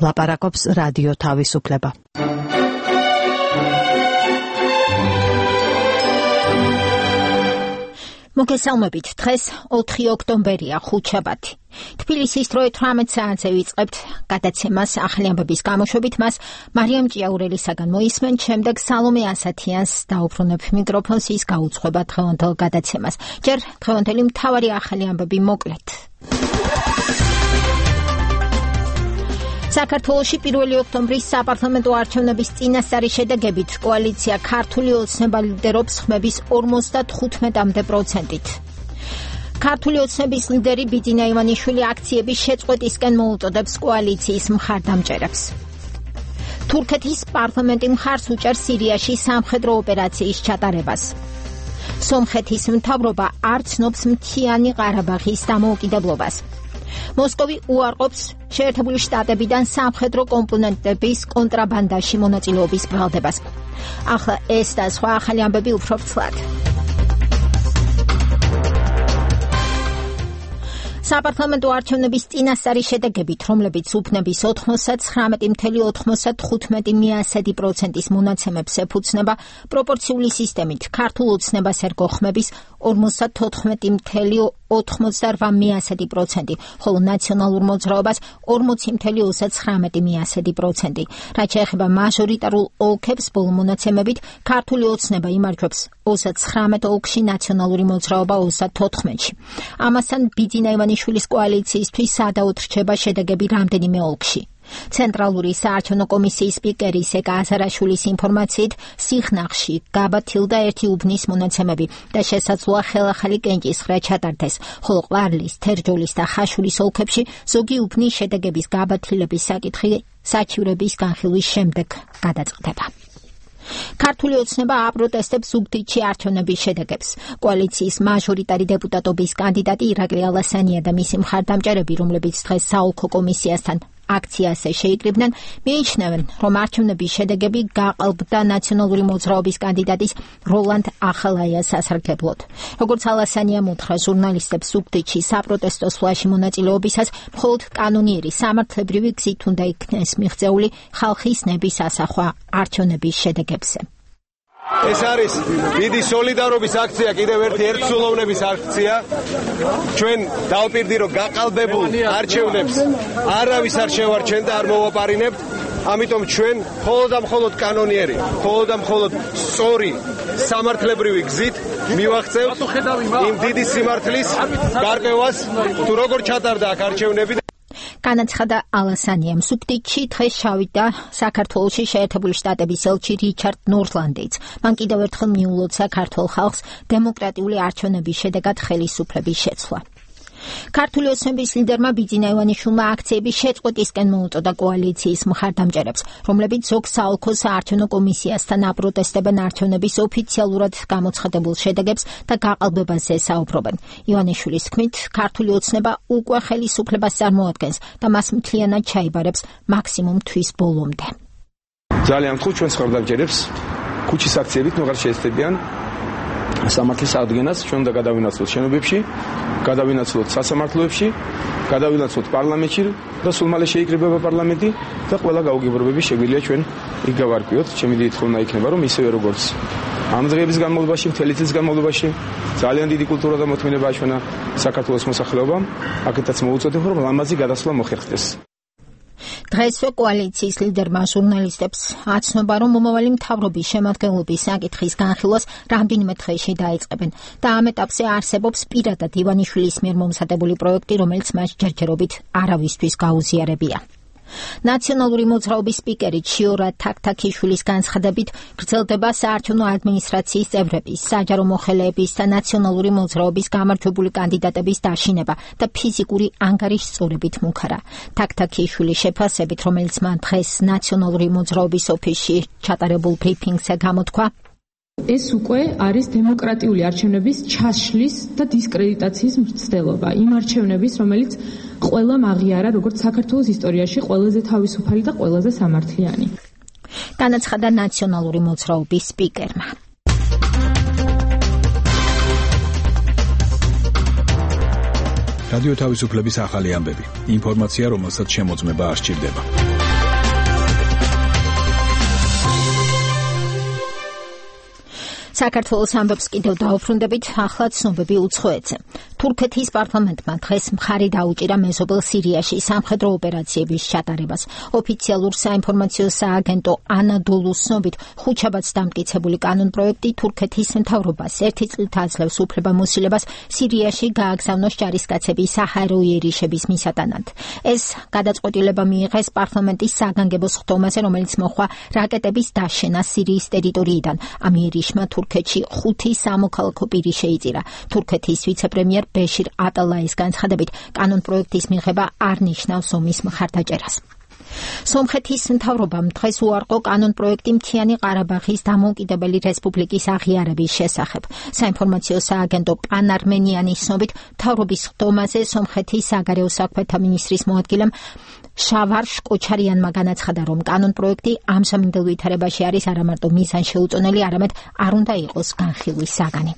ლაპარაკობს რადიო თავისუფლება. მოგესალმებით, დღეს 4 ოქტომბერია, ხუთშაბათი. თბილისის დრო 18 საათზე ვიწყებთ გადაცემას ახალი ამბების გამოშვებით, მას მარიამ ჭიაურელისაგან მოისმენთ, შემდეგ სალომე ასათიანს დაუბრუნებ მიკროფონს, ის გაუძღვება დღევანდელ გადაცემას. ჯერ დღევანდელი მთავარი ახალი ამბები მოკლედ. საქართველოში 1 ოქტომბრის საპარლამენტო არჩევნების წინასწარი შედეგებით კოალიცია ქართული ოცნება ლიდერობს ხმების 55%-ით. ქართული ოცნების ლიდერი ბიძინა ივანიშვილი აქციების შეწყვეტისკენ მოუწოდებს კოალიციის მხარდამჭერებს. თურქეთის პარლამენტი მხარს უჭერს სირიაში სამხედრო ოპერაციის ჩატარებას. სომხეთის მთავრობა არ ცნობს მთიანი ყარაბაღის დამოუკიდებლობას. მოსკოვი უარყოფს შეერთებული შტატებიდან სამხედრო კომპონენტების კონტრაბანდაში მონაწილეობის ბრალდებას. ახლა ეს და სხვა ახალი ამბები უფრო ფრთლად. საპარლამენტო არჩევნების წინასწარი შედეგებით, რომლებიც უბნების 99.95%-ის მონაცემებს ეფუძნება, პროპორციული სისტემით ქართულ ოცნებას ერგო ხმების 58.98%, ხოლო ნაციონალურ მოძრაობას 40.39%. რაც შეეხება მაჟორიტარულ ოლქებს, ბოლო მონაცემებით ქართული ოცნება იმარჯვებს 39 ოლქში, ნაციონალური მოძრაობა 34-ში. ამასთან ბიძინა ივანიშვილის კოალიციისთვის სადავოდ რჩება შედეგები რამდენიმე ოლქში. ცენტრალური საარჩევნო კომისიის სპიკერი სეკა აზარაშვილის ინფორმაციით, სიხნაღში გაბათილდა 1 უბნის მონაცემები და შესაძლოა ხელახალი კენჭისხრა ჩატარდეს, ხოლო ყვარლის, თერჯოლის და ხაშურის ოლქებში ზოგი უბნის შედეგების გაბათილების საკითხი საჩივრების განხილვის შემდეგ გადაწყდება. ქართული ოცნება აპროტესტებს ზუგდიდში არჩევნების შედეგებს. კოალიციის მაჟორიტარი დეპუტატობის კანდიდატი ირაკლი ალასანია და მისი მხარდამჭერები, რომლებიც დღეს საოლქო კომისიასთან აქციაზე შეიკრიბნენ, მიიჩნევენ, რომ არჩევნების შედეგები გაყალბდა ნაციონალური მოძრაობის კანდიდატის როლანდ ახალაიას სასარგებლოდ. როგორც ალასანია მოთხრა ჟურნალისტებს ზუგდიდში საპროტესტო სვლაში მონაწილეობისას, მხოლოდ კანონიერი სამართლებრივი გზით უნდა იქნეს მიღწეული ხალხის ნების ასახვა არჩევნების შედეგებზე. ეს არის დიდი სოლიდარობის აქცია, კიდევ ერთი ერთსულოვნების აქცია. ჩვენ დავპირდი, რომ გაყალბებულ არჩევნებს არავის არ შევარჩენ და არ მოვაპარინებთ. ამიტომ ჩვენ მხოლოდ კანონიერი, მხოლოდ სწორი სამართლებრივი გზით მივაღწევთ იმ დიდი სიმართლის გარკვევას, თუ როგორ ჩატარდა აქ არჩევნები. განაცხადა ალასანიამ. ზუგდიდში დღეს ჩავიდა საქართველოში შეერთებული შტატების ელჩი რიჩარდ ნორლანდიც. მან კიდევ ერთხელ მიულოცა ქართულ ხალხს დემოკრატიული არჩევნების შედეგად ხელისუფლების შეცვლა. ქართული ოცნების ლიდერმა ბიძინა ივანიშვილმა აქციების შეწყვეტისკენ მოუწოდა კოალიციის მხარდამჭერებს, რომლებიც ზოგ საოლქო საარჩევნო კომისიასთან აპროტესტებენ არჩევნების ოფიციალურად გამოცხადებულ შედეგებს და გაყალბებაზე საუბრობენ. ივანიშვილის თქმით, ქართული ოცნება უკვე ხელისუფლებას წარმოადგენს და მას მთლიანად ჩაიბარებს მაქსიმუმ თვის ბოლომდე. ძალიან ვთქვი ჩვენს მხარდამჭერებს, ქუჩის აქციებით ნუ აღარ შეესწებიან სამართლის აღდგენას, ჩვენ უნდა გადავინაცვლოთ შენობებში, გადავინაცვლოთ სასამართლოებში, გადავინაცვლოთ პარლამენტში და სულ მალე შეიკრიბება პარლამენტი და ყველა გაუგებრობები შეგვიძლია ჩვენ იქ გავარკვიოთ. ჩემი დიდი თხოვნა იქნება, რომ ისევე როგორც ამ დღეების განმავლობაში, მთელი წლის განმავლობაში ძალიან დიდი კულტურა და მოთმინება აჩვენა საქართველოს მოსახლეობამ, აქეთაც მოუწოდებ, რომ ლამაზი გადასვლა მოხერხდეს. დღესვე კოალიციის ლიდერმა ჟურნალისტებს აცნობა, რომ მომავალი მთავრობის შემადგენლობის საკითხის განხილვას რამდენიმე დღეში დაიწყებენ და ამ ეტაპზე არსებობს პირადად ივანიშვილის მიერ მომზადებული პროექტი, რომელიც მას ჯერჯერობით არავისთვის გაუზიარებია. ნაციონალური მოძრაობის სპიკერი ჩიორა თაქთაქიშვილის განცხადებით, გრძელდება საარჩევნო ადმინისტრაციის წევრების, საჯარო მოხელეების და ნაციონალური მოძრაობის გამარჯვებული კანდიდატების დაშინება და ფიზიკური ანგარიშწორებით მუქარა. თაქთაქიშვილის შეფასებით, რომელიც მან დღეს ნაციონალური მოძრაობის ოფისში ჩატარებულ ბრიფინგზე გამოთქვა, ეს უკვე არის დემოკრატიული არჩევნების ჩაშლის და დისკრედიტაციის მცდელობა. იმ არჩევნების, რომელიც ყველამ აღიარა, როგორც საქართველოს ისტორიაში ყველაზე თავისუფალი და ყველაზე სამართლიანი. განაცხადა ნაციონალური მოძრაობის სპიკერმა. რადიო თავისუფლების ახალი ამბები. ინფორმაცია, რომელსაც შემოწმება არ სჭირდება. საქართველოს ამბობს კიდევ დაუბრუნდებით, ახლა ცნობები უცხოეთზე. თურქეთის პარლამენტმა დღეს მხარი დაუჭირა მეზობელ სირიაში სამხედრო ოპერაციების ჩატარებას. ოფიციალურ საინფორმაციო სააგენტო ანადოლუს ცნობით, ხუთშაბათს დამტკიცებული კანონპროექტი თურქეთის მთავრობას ერთი წლით აძლევს უფლებამოსილებას სირიაში გააგზავნოს ჯარისკაცები საჰაერო იერიშების მისატანად. ეს გადაწყვეტილება მიიღეს პარლამენტის საგანგებო სხდომაზე, რომელიც მოხდა რაკეტების დაშენას სირიის ტერიტორიიდან. ამ იერიშმა თურქეთში 5 სამოქალაქო პირი შეიწირა. თურქეთის ვიცე-პრემიერ ბეშირ ატალაის განცხადებით, კანონპროექტის მიღება არ ნიშნავს ომის მხარდაჭერას. სომხეთის მთავრობამ დღეს უარყო კანონპროექტი მთიანი ყარაბაღის დამოუკიდებელი რესპუბლიკის აღიარების შესახებ. საინფორმაციო სააგენტო პან არმენიანის ცნობით, მთავრობის სხდომაზე სომხეთის საგარეო საქმეთა მინისტრის მოადგილემ შავარშ კოჩარიანმა განაცხადა, რომ კანონპროექტი ამჟამინდელ ვითარებაში არის არამარტო მიზანშეუწონელი, არამედ არ უნდა იყოს განხილვის საგანი.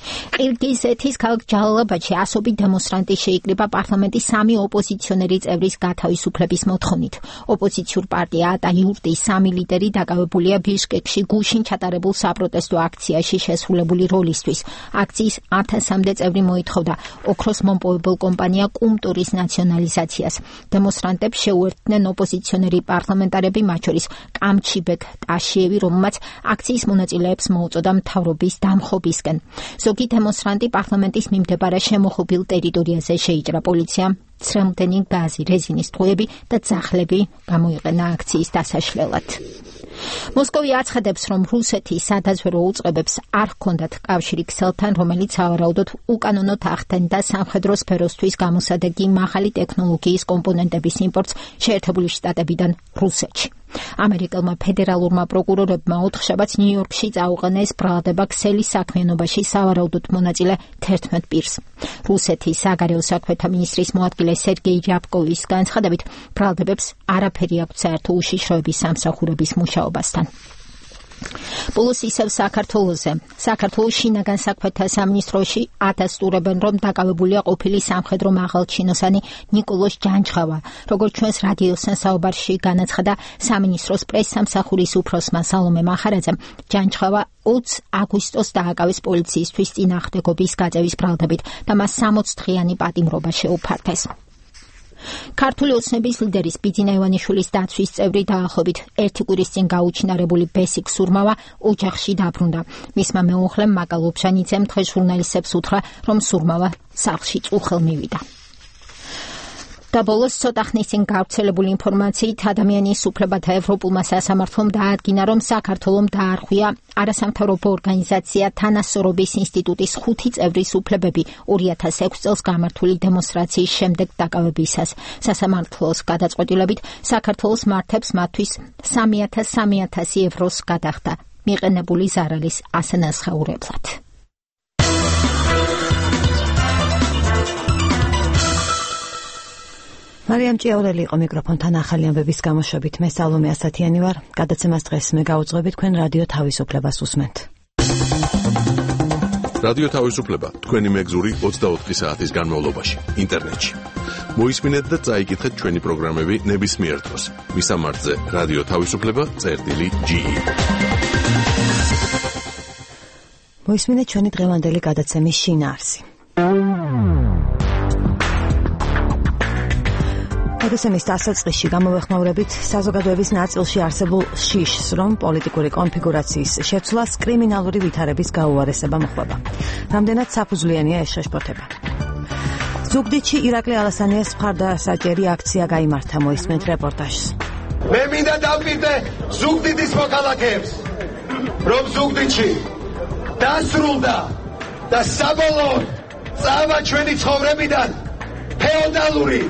ყირგიზეთის ქალაქ ჯალალაბადში ასობით დემონსტრანტი შეიკრიბა პარლამენტის 3 ოპოზიციონერი წევრის გათავისუფლების მოთხოვნით. ოპოზიციურ პარტია ატა-იურტის 3 ლიდერი დაკავებულია ბიშკეკში გუშინ ჩატარებულ საპროტესტო აქციაში შესრულებული როლისთვის. აქციის 1000-მდე წევრი მოითხოვდა ოქროს მომპოვებელ კომპანია კუმტურის ნაციონალიზაციას. დემონსტრანტებს შეუერთდნენ ოპოზიციონერი პარლამენტარები, მათ შორის კამჩიბეკ ტაშიევი, რომელმაც აქციის მონაწილეებს მოუწოდა მთავრობის დამხობისკენ. ზოგი დემონსტრანტი პარლამენტის მიმდებარე შემოხობილ ტერიტორიაზე შეიჭრა. პოლიციამ ცრემლდენი გაზი, რეზინის ტყუები და ძაღლები გამოიყენა აქციის დასაშლელად. მოსკოვი აცხადებს, რომ რუსეთის სადაზვერვო უწყებებს არ ჰქონდათ კავშირი ქსელთან, რომელიც სავარაუდოდ უკანონოდ ახდენდა სამხედრო სფეროსთვის გამოსადეგი მაღალი ტექნოლოგიის კომპონენტების იმპორტს შეერთებული შტატებიდან რუსეთში. ამერიკელმა ფედერალურმა პროკურორებმა ოთხშაბათს ნიუ-იორკში წაუყენეს ბრალდება ქსელის საქმიანობაში სავარაუდოდ მონაწილე 11 პირს. რუსეთის საგარეო საქმეთა მინისტრის მოადგილე სერგეი რიაბკოვის განცხადებით, ბრალდებებს არაფერი აქვთ საერთო უშიშროების სამსახურების მუშაობასთან. პლუს ისევ საქართველოზე. საქართველოს შინაგან საქმეთა სამინისტროში ადასტურებენ, რომ დაკავებულია ყოფილი სამხედრო მაღალჩინოსანი ნიკოლოზ ჯანჯღავა. როგორც ჩვენს რადიოსთან საუბარში განაცხადა სამინისტროს პრესსამსახურის უფროსმა სალომე მახარაძემ, ჯანჯღავა 20 აგვისტოს დააკავეს პოლიციისთვის წინააღმდეგობის გაწევის ბრალდებით და მას 60 დღიანი პატიმრობა შეუფართეს. ქართული ოცნების ლიდერის ბიძინა ივანიშვილის დაცვის წევრი დაახლოებით 1 კვირის წინ გაუჩინარებული ბესიკ სურმავა ოჯახში დაბრუნდა. მისმა მეუღლემ მაკა ლობჟანიძემ დღეს ჟურნალისტებს უთხრა, რომ სურმავა სახლში წუხელ მივიდა. და ბოლოს ცოტა ხნის წინ გავრცელებული ინფორმაციით ადამიანის უფლებათა ევროპულმა სასამართლომ დაადგინა, რომ საქართველომ დაარღვია არასამთავრობო ორგანიზაცია თანასწორობის ინსტიტუტის 5 წევრის უფლებები 2006 წელს გამართული დემონსტრაციის შემდეგ დაკავებისას. სასამართლოს გადაწყვეტილებით საქართველოს მართებს მათთვის 3.000 ევროს გადახდა მიყენებული ზარალის ასანახაურებლად. მარიამ ჭიაურელი იყო მიკროფონთან ახალი ამბების გამოშვებით. მე სალომე ასათიანი ვარ. გადაცემას დღეს მე გავუძღვებით, თქვენ რადიო თავისუფლებას უსმენთ. რადიო თავისუფლება თქვენი მეგზური 24 საათის განმავლობაში ინტერნეტში. მოისმინეთ და წაიკითხეთ ჩვენი პროგრამები ნებისმიერ დროს. მისამართზე რადიო თავისუფლება.ge. მოისმინეთ ჩვენი დღევანდელი გადაცემის შინაარსი. გადაცემის დასაწყისში გამოვეხმაურებით საზოგადოების ნაწილში არსებულ შიშს, რომ პოლიტიკური კონფიგურაციის შეცვლას კრიმინალური ვითარების გაუარესება მოხდება. რამდენად საფუძვლიანია ეს შეშფოთება. ზუგდიდში ირაკლი ალასანიას მხარდასაჭერი აქცია გაიმართა, მოისმენთ რეპორტაჟს. მე მინდა დავპირდე ზუგდიდის მოქალაქეებს, რომ ზუგდიდში დასრულდა და საბოლოოდ წავა ჩვენი ცხოვრებიდან ფეოდალური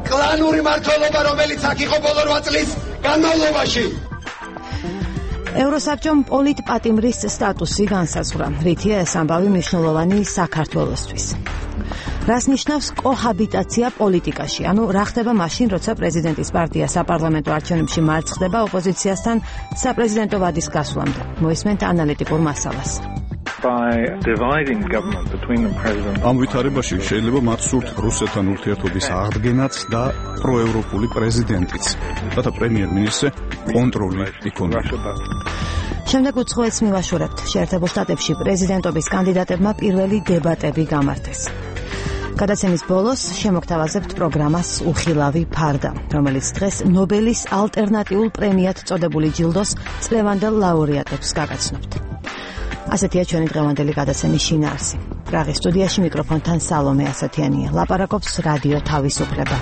კლანური მმართველობა, რომელიც აქ იყო ბოლო 8 წლის განმავლობაში. ევროსაბჭომ პოლიტპატიმრის სტატუსი განსაზღვრა, რითია ეს ამბავი მნიშვნელოვანი საქართველოსთვის. რას ნიშნავს კოჰაბიტაცია პოლიტიკაში? ანუ რა ხდება მაშინ, როცა პრეზიდენტის პარტია საპარლამენტო არჩევნებში მარცხდება ოპოზიციასთან საპრეზიდენტო ვადის გასვლამდე? მოისმენთ ანალიტიკურ მასალას. ამ ვითარებაში შეიძლება მათ სურთ რუსეთთან ურთიერთობის აღდგენაც და პროევროპული პრეზიდენტიც, რათა პრემიერ-მინისტრზე კონტროლი იქონია. შემდეგ უცხოეთს მივაშორებთ. შეერთებულ შტატებში პრეზიდენტობის კანდიდატებმა პირველი დებატები გამართეს. გადაცემის ბოლოს შემოგთავაზებთ პროგრამას უხილავი ფარდა, რომელიც დღეს ნობელის ალტერნატიულ პრემიად წოდებული ჯილდოს წლევანდელ ლაურეატებს გაგაცნობთ. ასეთია ჩვენი დღევანდელი გადაცემის შინაარსი. პრაღის სტუდიაში მიკროფონთან სალომე ასათიანია. ლაპარაკობს რადიო თავისუფლება.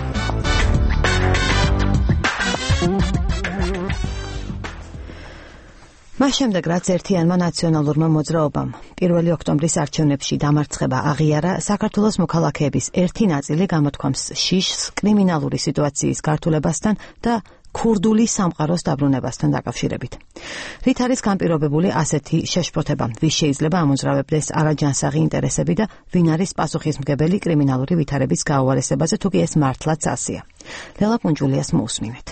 მას შემდეგ, რაც ერთიანმა ნაციონალურმა მოძრაობამ 1 ოქტომბრის არჩევნებში დამარცხება აღიარა, საქართველოს მოქალაქეების ერთი ნაწილი გამოთქვამს შიშს კრიმინალური სიტუაციის გართულებასთან და ქურდული სამყაროს დაბრუნებასთან დაკავშირებით. რით არის განპირობებული ასეთი შეშფოთება? ვის შეიძლება ამოძრავებდეს არაჯანსაღი ინტერესები და ვინ არის პასუხისმგებელი კრიმინალური ვითარების გაუარესებაზე, თუ კი ეს მართლაც ასეა? ლელა პუნჯულიას მოусმინეთ.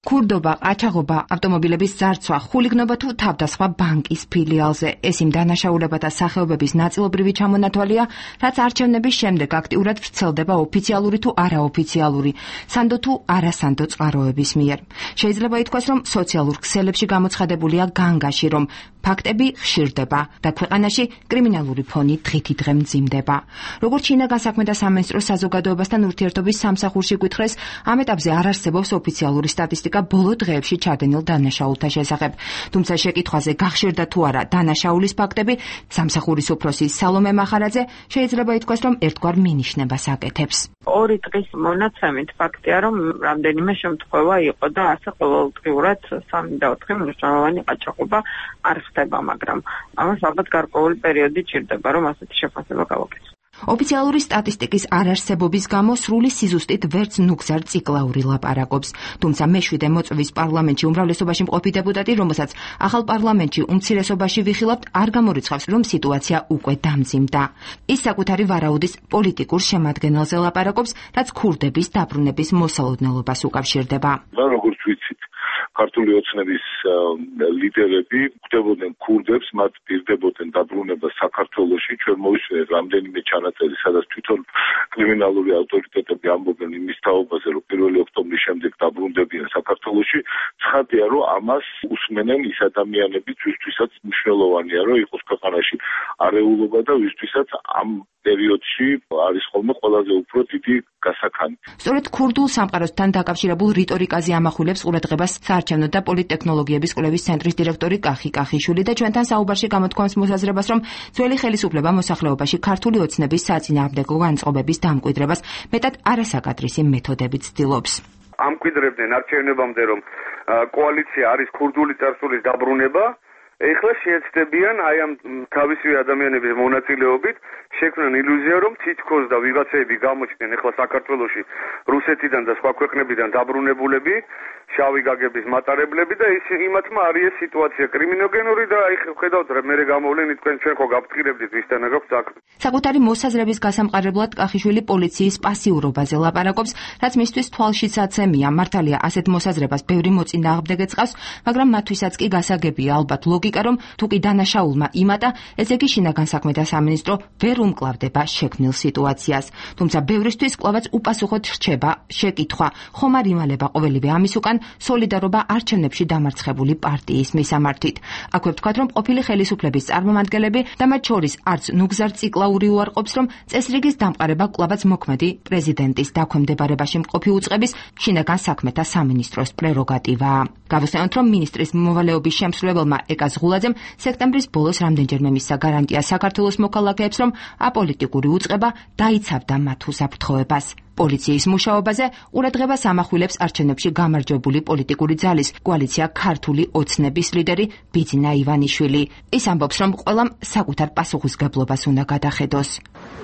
ქურდობა, ყაჩაღობა, ავტომობილების ზარცვა, ხულიგნობა თუ თავდასხმა ბანკის ფილიალზე. ეს იმ დანაშაულებათა სახეობების ნაწილობრივი ჩამონათვალია, რაც არჩევნების შემდეგ აქტიურად ვრცელდება ოფიციალური თუ არაოფიციალური, სანდო თუ არასანდო წყაროების მიერ. შეიძლება ითქვას, რომ სოციალურ ქსელებში გამოცხადებულია განგაში, რომ ფაქტები ხშირდება და ქვეყანაში კრიმინალური ფონი დღითიდღე მძიმდება. როგორც ჩინა განსაქმეთა სამინისტროს საზოგადოებასთან ურთიერთობის სამსახურში გვითხრეს, ამ ეტაპზე არ არსებობს ოფიციალური სტატისტიკა ბოლო დღეებში ჩადენილ დანაშაულთა შესახებ. თუმცა შეკითხვაზე გახშირდა თუ არა დანაშაულის ფაქტები, სამსახურის უფროსი სალომე მახარაძე შეიძლება ითქვას, რომ ერთგვარ მინიშნებას აკეთებს. 2 დღის მონაცემით ფაქტია, რომ რამდენიმე შემთხვევა იყო და ასე ყოველდღიურად 3 და 4 მნიშვნელოვანი ყაჩაღობა არ ხდება, მაგრამ ამას ალბათ გარკვეული პერიოდი ჭირდება, რომ ასეთი შეფასება გავაკეთოთ. ოფიციალური სტატისტიკის არარსებობის გამო სრული სიზუსტით ვერც ნუგზარ ციკლაური ლაპარაკობს. თუმცა მეშვიდე მოწვევის პარლამენტში უმრავლესობაში მყოფი დეპუტატი, რომელსაც ახალ პარლამენტში უმცირესობაში ვიხილავთ, არ გამორიცხავს, რომ სიტუაცია უკვე დამძიმდა. ის საკუთარი ვარაუდის პოლიტიკურ შემადგენელზე ლაპარაკობს, რაც ქურდების დაბრუნების მოსალოდნელობას უკავშირდება. როგორც ვიცით, ქართული ოცნების ლიდერები ხვდებოდნენ ქურდებს, მათ პირდებოდნენ დაბრუნება საქართველოში. ჩვენ მოვისმენთ რამდენიმე ჩანაწერი, სადაც თვითონ კრიმინალური ავტორიტეტები ამბობენ იმის თაობაზე, რომ 1 ოქტომბრის შემდეგ დაბრუნდებიან საქართველოში. ცხადია, რომ ამას უსმენენ ის ადამიანები, ვისთვისაც მნიშვნელოვანია, რომ იყოს ქვეყანაში არეულობა და ვისთვისაც ამ პერიოდში არის ხოლმე ყველაზე უფრო დიდი გასაქანი. სწორედ ქურდულ სამყაროსთან დაკავშირებულ რიტორიკაზე ამახვილებს ყურადღებას საარჩევნო და პოლიტტექნოლოგიების კვლევის ცენტრის დირექტორი კახი კახიშვილი და ჩვენთან საუბარში გამოთქვამს მოსაზრებას, რომ ძველი ხელისუფლება მოსახლეობაში ქართული ოცნების საწინააღმდეგო განწყობების დამკვიდრებას მეტად არასაკადრისი მეთოდებით ცდილობს. ამკვიდრებდნენ არჩევნებამდე, რომ კოალიცია არის ქურდული წარსულის დაბრუნება. ეხლა შეეცდებიან აი ამ თავისივე ადამიანების მონაწილეობით შექმნან ილუზია, რომ თითქოს და ვიღაცები გამოჩნდნენ ეხლა საქართველოში რუსეთიდან და სხვა ქვეყნებიდან დაბრუნებულები, შავი გაგების მატარებლები და ის იმათმა არის სიტუაცია კრიმინოგენური და აი ხედავთ რა მე გამოვლენ თქვენ ჩვენ ხო გაფრთხილებდით ვისთანა გაქვთ საქმე. საკუთარი მოსაზრების გასამყარებლად კახიშვილი პოლიციის პასიურობაზე ლაპარაკობს, რაც მისთვის თვალშიცაცემია. მართალია ასეთ მოსაზრებას ბევრი მოწინააღმდეგე წყავს, მაგრამ მათთვისაც კი გასაგებია ალბათ ლოგიკა, რომ თუ კი დანაშაულმა იმატა, ესე იგი შინაგან საქმეთა სამინისტრო ვერ უმკლავდება შექმნილ სიტუაციას. თუმცა ბევრისთვის კვლავაც უპასუხოდ რჩება შეკითხვა, ხომ არ იმალება ყოველივე ამის უკან სოლიდარობა არჩევნებში დამარცხებული პარტიის მისამართით. აქვე ვთქვათ, რომ ყოფილი ხელისუფლების წარმომადგენლები და მათ შორის არც ნუგზარ ციკლაური უარყოფს, რომ წესრიგის დამყარება კვლავაც მოქმედი პრეზიდენტის დაქვემდებარებაში მყოფი უწყების შინაგან საქმეთა სამინისტროს პრეროგატივაა. გავუსწრებთ, რომ მინისტრის მოვალეობის შემსრულებელმა ეკა ზღულაძემ სექტემბრის ბოლოს რამდენჯერმე მისცა გარანტია საქართველოს მოქალაქეებს, რომ აპოლიტიკური უწყება დაიცავდა მათ უსაფრთხოებას. პოლიციის მუშაობაზე ყურადღებას ამახვილებს არჩევნებში გამარჯვებული პოლიტიკური ძალის კოალიცია ქართული ოცნების ლიდერი ბიძინა ივანიშვილი. ის ამბობს, რომ ყველამ საკუთარ პასუხისმგებლობას უნდა გადახედოს.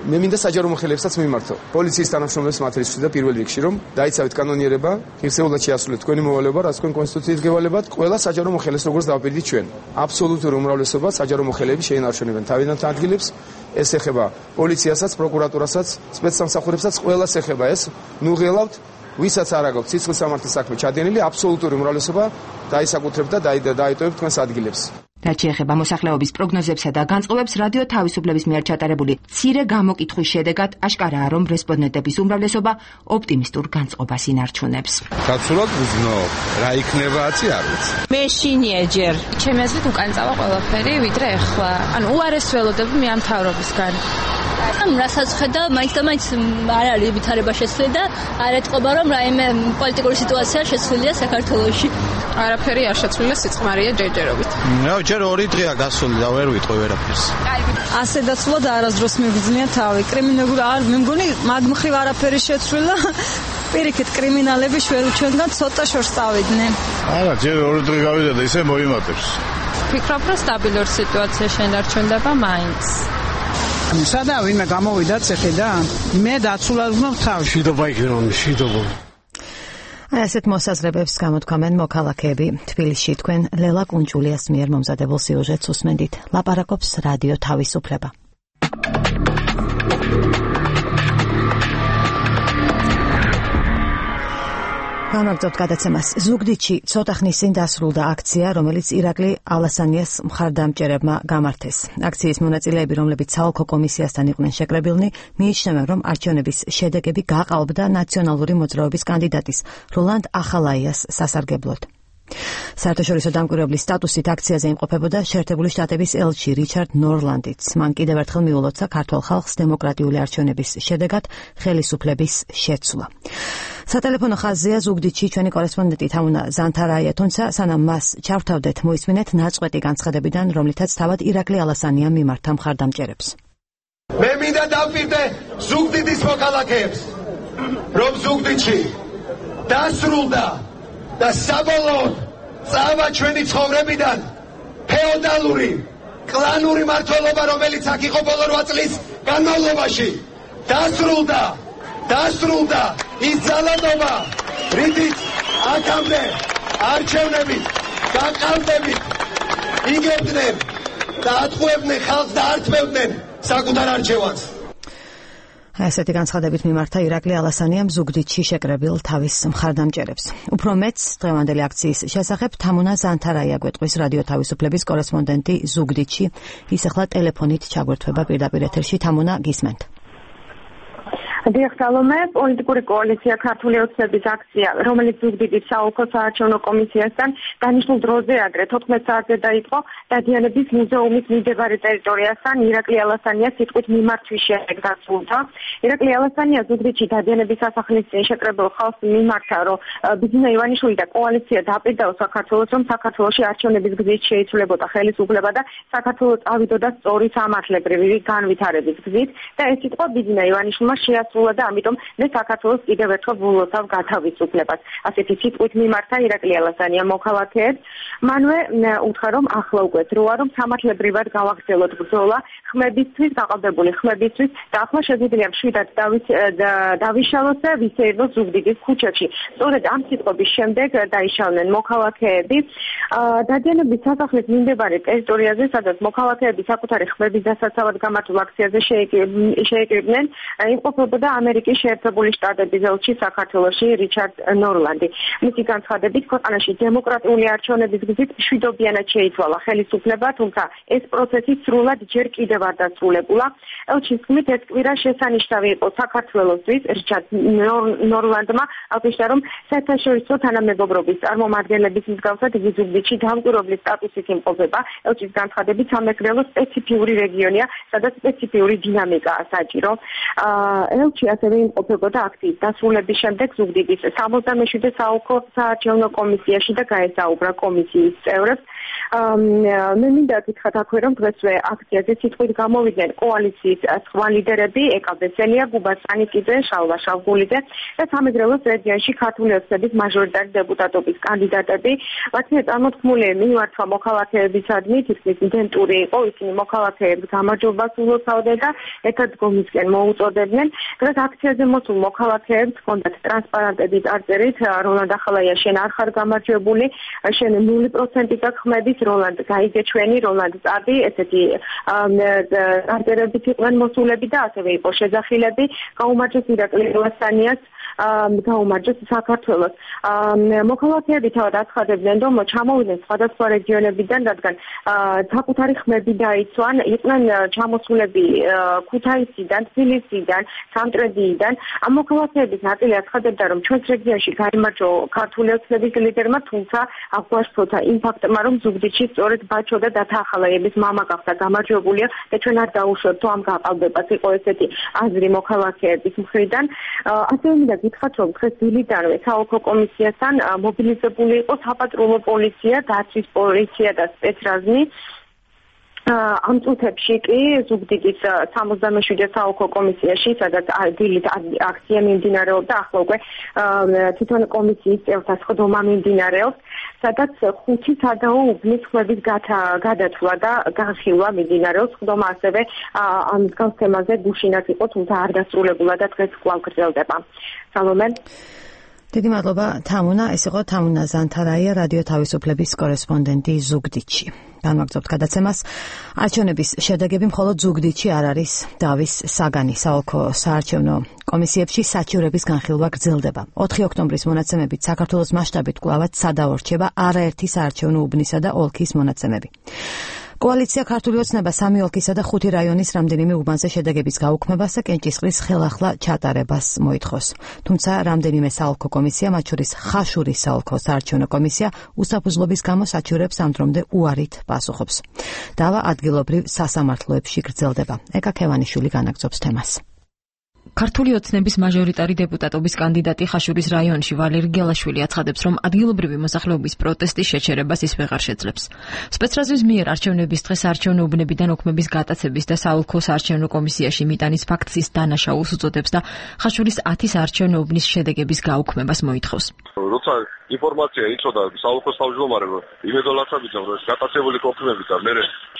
მე მინდა საჯარო მოხელებსაც მიმართო. პოლიციის თანამშრომლებს მათ რისხვი და პირველ რიგში, რომ დაიცავით კანონიერება, ღირსეულად შეასრულეთ თქვენი მოვალეობა, რაც თქვენ კონსტიტუციით გევალებათ, ყველა საჯარო მოხელეს როგორც დავაპირდით ჩვენ. აბსოლუტური უმრავლესობა საჯარო მოხელეები შეინარჩუნებენ თავიდან ადგილებს. ეს ეხება პოლიციასაც, პროკურატურასაც, სპეცსამსახურებსაც, ყველას ეხება ეს. ნუ ღელავთ, ვისაც არ აქვს სიცხლის სამართლის საქმე ჩადენილი, აბსოლუტური უმრავლესობა დაისაკუთრებთ და დაიტოვებთ თქვენს ადგილებს. რაც შეეხება მოსახლეობის პროგნოზებსა და განწყობებს, რადიო თავისუფლების მიერ ჩატარებული მცირე გამოკითხვის შედეგად აშკარაა, რომ რესპონდენტების უმრავლესობა ოპტიმისტურ განწყობას ინარჩუნებს. Გაცურად ვიზნო, რა იქნებააცი არ ვიცი. მე შინიეჯერ, ჩემი აზრით უკან წავა ყველაფერი, ვიდრე ახლა. ანუ უარეს ველოდები მე ამ მთავრობისგან. რასაც ხედა, მაინც და მაინც არ არის ვითარება შეცვლილი და არ ეთყობა, რომ რაიმე პოლიტიკური სიტუაცია შეცვლილია საქართველოში. არაფერი არ შეცვლილია, სიწყმარია ჯერჯერობით. ჯერ 2 დღეა გასული და ვერ ვიტყვი ვერაფერს. ასე დაცულად არასდროს მიგზნია თავი. კრიმინალური არ მე მგონი მაგ მხრივ არაფერი შეცვლილა. პირიქით კრიმინალები ჩვენგან ცოტა შორს წავიდნენ. არა, ჯერ 2 დღე გავიდა და ისე მოიმატებს. ვფიქრობ, რომ სტაბილური სიტუაცია შენარჩუნდება მაინც. სადა ვინმე გამოვიდა ციხიდან? მე დაცულად ვგნობ თავი. შიდობა იქნება, შიდობა. ასეთ მოსაზრებებს გამოთქვამენ მოქალაქეები. თბილისში თქვენ ლელა კუნჭულიას მიერ მომზადებულ სიუჟეტს უსმენდით. ლაპარაკობს რადიო თავისუფლება. გამაგზავნებთ გადაცემას. ზუგდიდში ცოტა ხნის წინ დასრულდა აქცია, რომელიც ირაკლი ალასანიას მხარდამჭერებმა გამართეს. აქციის მონაწილეები, რომლებიც საოლქო კომისიასთან იყვნენ შეკრებილნი, მიიჩნევენ, რომ არჩევნების შედეგები გაყალბდა ნაციონალური მოძრაობის კანდიდატის როლანდ ახალაიას სასარგებლოდ. საერთაშორისო დამკვირვებლის სტატუსით აქციაზე იმყოფებოდა შეერთებული შტატების ელჩი რიჩარდ ნორლანდიც. მან კიდევ ერთხელ მიულოცა ქართველ ხალხს დემოკრატიული არჩევნების შედეგად ხელისუფლების შეცვლა. სატელეფონო ხაზია ზუგდიდში ჩვენი კორესპონდენტი თამუნა ზანთარაია, თუმცა სანამ მას ჩავთავდეთ, მოისმინეთ ნაწყვეტი განცხადებიდან, რომლითაც თავად ირაკლი ალასანიამ მიმართა მხარდამჭერებს. მე მინდა დავპირდე ზუგდიდის მოქალაქეებს, რომ ზუგდიდში დასრულდა და საბოლოოდ წავა ჩვენი ცხოვრებიდან ფეოდალური კლანური მმართველობა, რომელიც აქ იყო ბოლო 8 წლის განმავლობაში. დასრულდა ის ძალადობა, რითიც აქამდე არჩევნებით გაყალბებით იგებდნენ და ატყუებდნენ ხალხს და ართმევდნენ საკუთარ არჩევანს. ასეთი განცხადებით მიმართა ირაკლი ალასანიამ ზუგდიდში შეკრებილ თავის მხარდამჭერებს. უფრო მეც დღევანდელი აქციის შესახებ თამუნა ზანთარაია გვეტყვის რადიო თავისუფლების კორესპონდენტი ზუგდიდში. ის ახლა ტელეფონით ჩაგვერთვება პირდაპირ ეთერში. თამუნა, გისმენთ. დიახ, სალომე, პოლიტიკური კოალიცია ქართული ოცნების აქცია, რომელიც ზუგდიდის საოლქო საარჩევნო კომისიასთან დანიშნულ დროზე ადრე 14 საათზე დაიწყო დადიანების მუზეუმის მიმდებარე ტერიტორიასთან ირაკლი ალასანიას სიტყვით მიმართვის შემდეგ დასრულდა. ირაკლი ალასანია ზუგდიდში დადიანების სასახლის წინ შეკრებილ ხალხს მიმართა, რომ ბიძინა ივანიშვილი და კოალიცია დააპირდაო საქართველოს, რომ საქართველოში არჩევნების გზით შეიცვლებოდა ხელისუფლება და საქართველო წავიდოდა სწორი სამართლებრივი განვითარების გზით და ეს სიტყვა ბიძინა ივანიშვილმა და ამიტომ მე საქართველოს კიდევ ერთხელ ვულოცავ გათავისუფლებას. ასეთი სიტყვით მიმართა ირაკლი ალასანია მოქალაქეებს. მანვე უთხრა, რომ ახლა უკვე დროა, რომ სამართლებრივად გავაგრძელოთ ბრძოლა ხმებისთვის, გაყალბებული ხმებისთვის და ახლა შეგვიძლია მშვიდად დავიშალოთ და ვისეირნოთ ზუგდიდის ქუჩებში. სწორედ ამ სიტყვების შემდეგ დაიშალნენ მოქალაქეები დადიანების სასახლის მიმდებარე ტერიტორიაზე, სადაც მოქალაქეები საკუთარი ხმების დასაცავად გამართულ აქციაზე შეიკრიბნენ, იმყოფებოდა ამერიკის შეერთებული შტატების ელჩი საქართველოში რიჩარდ ნორლანდი. მისი განცხადებით, ქვეყანაში დემოკრატიული არჩევნების გზით მშვიდობიანად შეიცვალა ხელისუფლება, თუმცა ეს პროცესი სრულად ჯერ კიდევ არ დასრულებულა. ელჩის თქმით, ეს კვირა შესანიშნავი იყო საქართველოსთვის. რიჩარდ ნორლანდმა აღნიშნა, რომ საერთაშორისო თანამეგობრობის წარმომადგენლების მსგავსად იგი ზუგდიდში დამკვირვებლის სტატუსით იმყოფება. ელჩის განცხადებით, სამეგრელო სპეციფიური რეგიონია, სადაც სპეციფიური დინამიკაა საჭირო. ელჩი ასევე იმყოფებოდა აქციის დასრულების შემდეგ ზუგდიდის 67 საოლქო საარჩევნო კომისიაში და გაესაუბრა კომისიის წევრებს. მე მინდა გითხრათ აქვე, რომ დღესვე აქციაზე სიტყვით გამოვიდნენ კოალიციის სხვა ლიდერები, ეკა ბესელია, გუბა სანიკიძე, შალვა შავგულიძე და სამეგრელოს რეგიონში ქართული ოცნების მაჟორიტარი დეპუტატობის კანდიდატები. მათი წარმოთქმული მიმართვა მოქალაქეებისადმი თითქმის იდენტური იყო, ისინი მოქალაქეებს გამარჯვებას ულოცავდნენ და ერთადგომისკენ მოუწოდებდნენ. დღეს აქციაზე მოსულ მოქალაქეებს ჰქონდათ ტრანსპარანტები წარწერით როლანდ ახალაია შენ არ ხარ გამარჯვებული, შენ 0% გაქვს ხმების, როლანდ გაიგეჩვენი, როლანდ წარდი, ესეთი წარწერებით იყვნენ მოსულები და ასევე იყო შეძახილები. გაუმარჯოს ირაკლი ალასანიას გაუმარჯოს საქართველოს. მოქალაქეები თავად აცხადებდნენ, რომ ჩამოვიდნენ სხვადასხვა რეგიონებიდან, რადგან საკუთარი ხმები დაიცვან, იყვნენ ჩამოსულები ქუთაისიდან, თბილისიდან, სამტრედიიდან. ამ მოქალაქეების ნაწილი აცხადებდა, რომ ჩვენს რეგიონში გაიმარჯვა ქართული ოცნების ლიდერმა, თუმცა აღგვარცხოთა იმ ფაქტმა, რომ ზუგდიდში სწორედ ბაჩო და დათა ახალაიების მამა გახდა გამარჯვებულია და ჩვენ არ დაუშვებთ ამ გაყალბებას, იყო ესეთი აზრი მოქალაქეების მხრიდან. ასევე მინდა გითხრათ, რომ დღეს დილიდანვე საოლქო კომისიასთან მობილიზებული იყო საპატრულო პოლიცია, დაცვის პოლიცია და სპეცრაზმი. ამ წუთებში კი ზუგდიდის 67 საოლქო კომისიაში, სადაც დილით აქცია მიმდინარეობდა, ახლა უკვე თვითონ კომისიის წევრთა სხდომა მიმდინარეობს, სადაც 5 სადაო უბნის ხმების გადათვლა და განხილვა მიმდინარეობს. სხდომა ასევე ამ მსგავს თემაზე გუშინაც იყო, თუმცა არ დასრულებულა და დღეს კვლავ გრძელდება. სალომე. დიდი მადლობა თამუნა, ეს იყო თამუნა ზანთარაია, რადიო თავისუფლების კორესპონდენტი ზუგდიდში. განვაგრძობთ გადაცემას. არჩევნების შედეგები მხოლოდ ზუგდიდში არ არის დავის საგანი. საოლქო საარჩევნო კომისიებში საჩივრების განხილვა გრძელდება. 4 ოქტომბრის მონაცემებით საქართველოს მასშტაბით კვლავაც სადაო რჩება არაერთი საარჩევნო უბნისა და ოლქის მონაცემები. კოალიცია ქართული ოცნება 3 ოლქისა და 5 რაიონის რამდენიმე უბანზე შედეგების გაუქმებას და კენჭისყრის ხელახლა ჩატარებას მოითხოვს. თუმცა რამდენიმე საოლქო კომისია, მათ შორის ხაშურის საოლქო საარჩევნო კომისია, უსაფუძვლობის გამო საჩივრებს ამ დრომდე უარით პასუხობს. დავა ადგილობრივ სასამართლოებში გრძელდება. ეკა ქევანიშვილი განაგრძობს თემას. ქართული ოცნების მაჟორიტარი დეპუტატობის კანდიდატი ხაშურის რაიონში ვალერი გელაშვილი აცხადებს, რომ ადგილობრივი მოსახლეობის პროტესტის შეჩერებას ის ვეღარ შეძლებს. სპეცრაზმის მიერ არჩევნების დღეს არჩევნო უბნებიდან ოქმების გატაცების და საოლქო საარჩევნო კომისიაში მიტანის ფაქტის დანაშაულს უწოდებს და ხაშურის 10 საარჩევნო უბნის შედეგების გაუქმებას მოითხოვს. როცა ინფორმაცია იცოდა საოლქოს თავმჯდომარემ იმედოლაცავით, რომ გატაცებული ოქმები და მე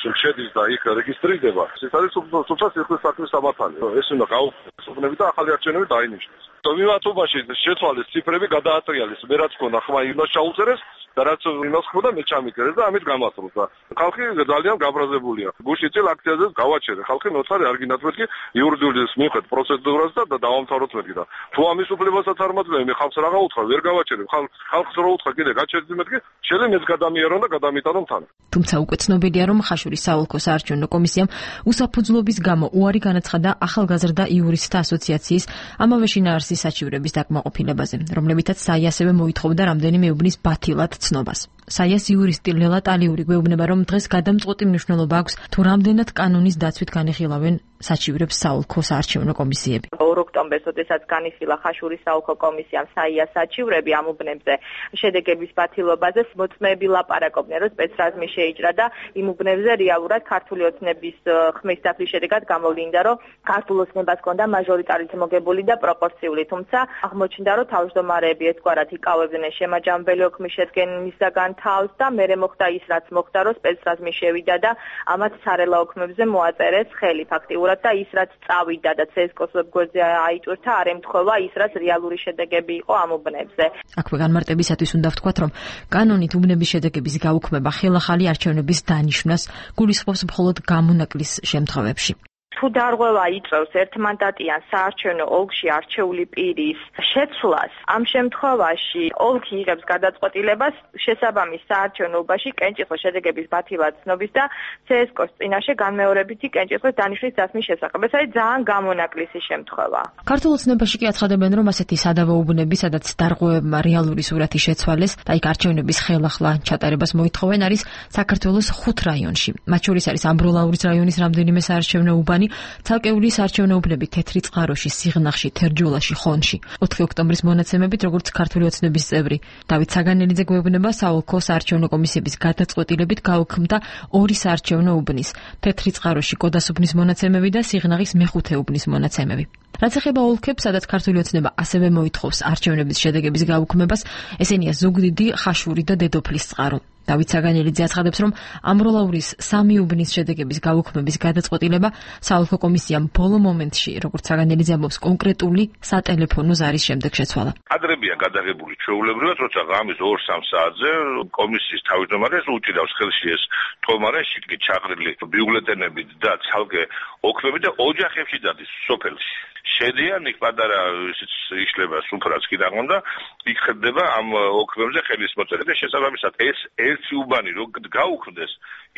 შედის და იქ რეგისტრირდება, ეს არის თუმცა სიხლის საქმის სამართალი. ეს უნდა გაუქმდეს უბნები და ახალი არჩევნები დაინიშნოს. მიმართობაში შეცვალეს ციფრები, გადაატრიალეს, მე რაც ქონდა ხმა იმას ჩაუწერეს და რაც იმას ხმოდა მე ჩამიკერეს და ამით გამასრულს და ხალხი ძალიან გაბრაზებულია. გუშინ წელ აქციაზე გავაჩერე, ხალხი ნოცარი არ გინათმეთქი იურიდიულის მიხედ პროცედურას და დავამთავროთ მეთქი და თუ ამის უფლებასაც არ მაძლევი, მე ხალხს რაღა უთხრა, ვერ გავაჩერებ, ხალხს რო უთხრა კიდე გაჩერდი მეთქი, შეიძლება მეც გადამიერონ და გადამიტანონ თან. თუმცა უკვე ცნობილია, რომ ხაშურის საოლქო საარჩევნო კომისიამ უსაფუძვლობის გამო უარი განაცხადა ახალგაზრდა იურისტთა ასოციაციის ამავე შინაარსის საჩივრების დაკმაყოფილებაზე, რომლებითაც საი ასევე მოითხოვდა რამდენიმე უბნის ბათილად ცნობას. საიას იურისტი ლელა ტალიური გვეუბნება, რომ დღეს გადამწყვეტი მნიშვნელობა აქვს თუ რამდენად კანონის დაცვით განიხილავენ საჩივრებს საოლქო საარჩევნო კომისიები. 2 ოქტომბერს, როდესაც განიხილა ხაშურის საოლქო კომისიამ საიას საჩივრები ამ უბნებზე შედეგების ბათილობაზე, მოწმეები ლაპარაკობდნენ, რომ სპეცრაზმი შეიჭრა და იმ უბნებზე რეალურად ქართული ოცნების ხმის დაცვის შედეგად გამოვლინდა, რომ ქართულ ოცნებას ჰქონდა მაჟორიტარით მოგებული და პროპორციული, თუმცა აღმოჩნდა, რომ თავმჯდომარეები ერთგვარად იკავებდნენ შემაჯამებელი ოქმის შედგენისაგან თავს და მერე მოხდა ის, რაც მოხდა, რომ სპეცრაზმი შევიდა და ამათ სარელა ოქმებზე მოაწერეს ხელი ფაქტიურად და ის, რაც წავიდა და ცესკოს ვებგვერდზე აიტვირთა, არ ემთხვევა ის, რაც რეალური შედეგები იყო ამ უბნებზე. აქვე განმარტებისათვის უნდა ვთქვათ, რომ კანონით უბნების შედეგების გაუქმება ხელახალი არჩევნების დანიშვნას გულისხმობს მხოლოდ გამონაკლის შემთხვევებში. თუ დარღვევა იწევს ერთმანდატიან საარჩევნო ოლქში არჩეული პირის შეცვლას, ამ შემთხვევაში ოლქი იღებს გადაწყვეტილებას შესაბამის საარჩევნოობაში კენჭისყრის შედეგების ბათილად ცნობის და CSKOS წინაშე განმეორებითი კენჭისყრის დანიშვნის დასმის შესახებ. ეს არის ძალიან გამონაკლისი შემთხვევა. ქართულ ოცნებაში კი აცხადებენ, რომ ასეთი სადავო უბნები, სადაც დარღვევებმა რეალური სურათი შეცვალეს და იქ არჩევნების ხელახლა ჩატარებას მოითხოვენ, არის საქართველოს 5 რაიონში. მათ შორის არის ამბროლაურის რაიონის რამდენიმე საარჩევნო უბანი, ცალკეული საარჩევნო უბნები თეთრი წყაროში, სიღნაღში, თერჯოლაში, ხონში. 4 ოქტომბრის მონაცემებით, როგორც ქართული ოცნების წევრი დავით საგანელიძე გვეუბნება, საოლქო საარჩევნო კომისიების გადაწყვეტილებით გაუქმდა 2 საარჩევნო უბნის, თეთრი წყაროში კოდას უბნის მონაცემები და სიღნაღის მეხუთე უბნის მონაცემები. რაც ეხება ოლქებს, სადაც ქართული ოცნება ასევე მოითხოვს არჩევნების შედეგების გაუქმებას, ესენია ზუგდიდი, ხაშური და დედოფლის წყარო. დავით საგანელიძე აცხადებს, რომ ამბროლაურის 3 უბნის შედეგების გაუქმების გადაწყვეტილება საოლქო კომისიამ ბოლო მომენტში, როგორც საგანელიძე ამბობს, კონკრეტული სატელეფონო ზარის შემდეგ შეცვალა. კადრებია გადაღებული ჩვეულებრივად, როცა ღამის 2-3 საათზე კომისიის თავმჯდომარეს უჭირავს ხელში ეს თომარეში ჩაყრილი ბიულეტენები და ცალკე ოქმები და ოჯახებში დადის სოფელში. შედიან იქ პატარა ისიც იშლება სუფრაც კი დაღონდა იქ ხდება ამ ოქროებზე ხელის მოწერა და შესაბამისად ეს ერთი უბანი რო გაუქმდეს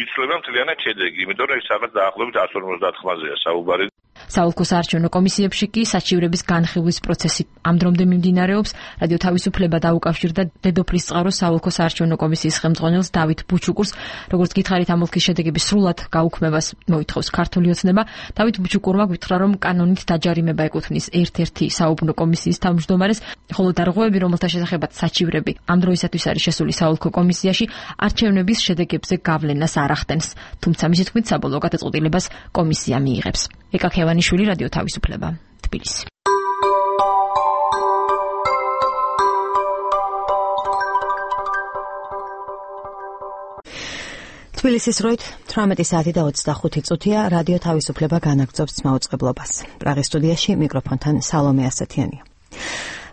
იცვლება მთლიანად შედეგი იმიტომ რომ ეს რაღაც დაახლოებით 150-მაზეა საუბარი საოლქო საარჩევნო კომისიებში კი საჩივრების განხილვის პროცესი ამ დრომდე მიმდინარეობს. რადიო თავისუფლება დაუკავშირდა დედოფლის წყაროს საოლქო საარჩევნო კომისიის ხელმძღვანელს დავით ბუჩუკურს. როგორც გითხარით, ამ ოლქის შედეგების სრულად გაუქმებას მოითხოვს ქართული ოცნება. დავით ბუჩუკურმა გითხრა, რომ კანონით დაჯარიმება ეკუთვნის ერთ-ერთი საუბნო კომისიის თავმჯდომარეს, ხოლო დარღვევები, რომელთა შესახებაც საჩივრები ამ დროისათვის არის შესული საოლქო კომისიაში, არჩევნების შედეგებზე გავლენას არ ახდენს. თუმცა მისი თქმით, საბოლოო გადაწყვეტილებას კომისია მიიღებს. ეკა ქევანიშვილი, რადიო თავისუფლება, თბილისი. თბილისის დროით 18 საათი და 25 წუთია. რადიო თავისუფლება განაგრძობს მაუწყებლობას. პრაღის სტუდიაში მიკროფონთან სალომე ასათიანია.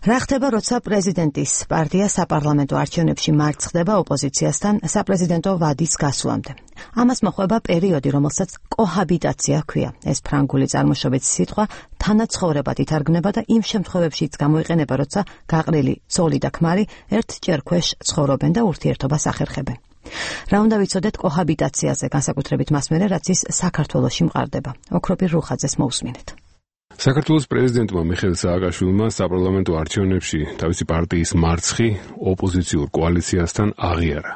რა ხდება, როცა პრეზიდენტის პარტია საპარლამენტო არჩევნებში მარცხდება ოპოზიციასთან საპრეზიდენტო ვადის გასვლამდე? ამას მოყვება პერიოდი, რომელსაც კოჰაბიტაცია ჰქვია. ეს ფრანგული წარმოშობის სიტყვა თანაცხოვრებად ითარგმნება და იმ შემთხვევებშიც გამოიყენება, როცა გაყრილი ცოლი და ქმარი ერთჯერ ქვეშ ცხოვრობენ და ურთიერთობას ახერხებენ. რა უნდა ვიცოდეთ კოჰაბიტაციაზე, განსაკუთრებით მას მერე, რაც ის საქართველოში მყარდება. ოქროპირ რუხაძეს მოусმინეთ. საქართველოს პრეზიდენტმა მიხეილ სააკაშვილმა საპარლამენტო არჩევნებში თავისი პარტიის მარცხი ოპოზიციურ კოალიციასთან აღიარა.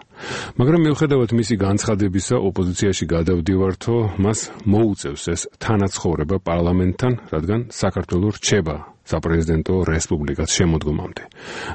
მაგრამ მიუხედავად მისი განცხადებისა, ოპოზიციაში გადავდივართო, მას მოუწევს ეს თანაცხოვრება პარლამენტთან, რადგან საქართველო რჩება საპრეზიდენტო რესპუბლიკას შემოდგომამდე.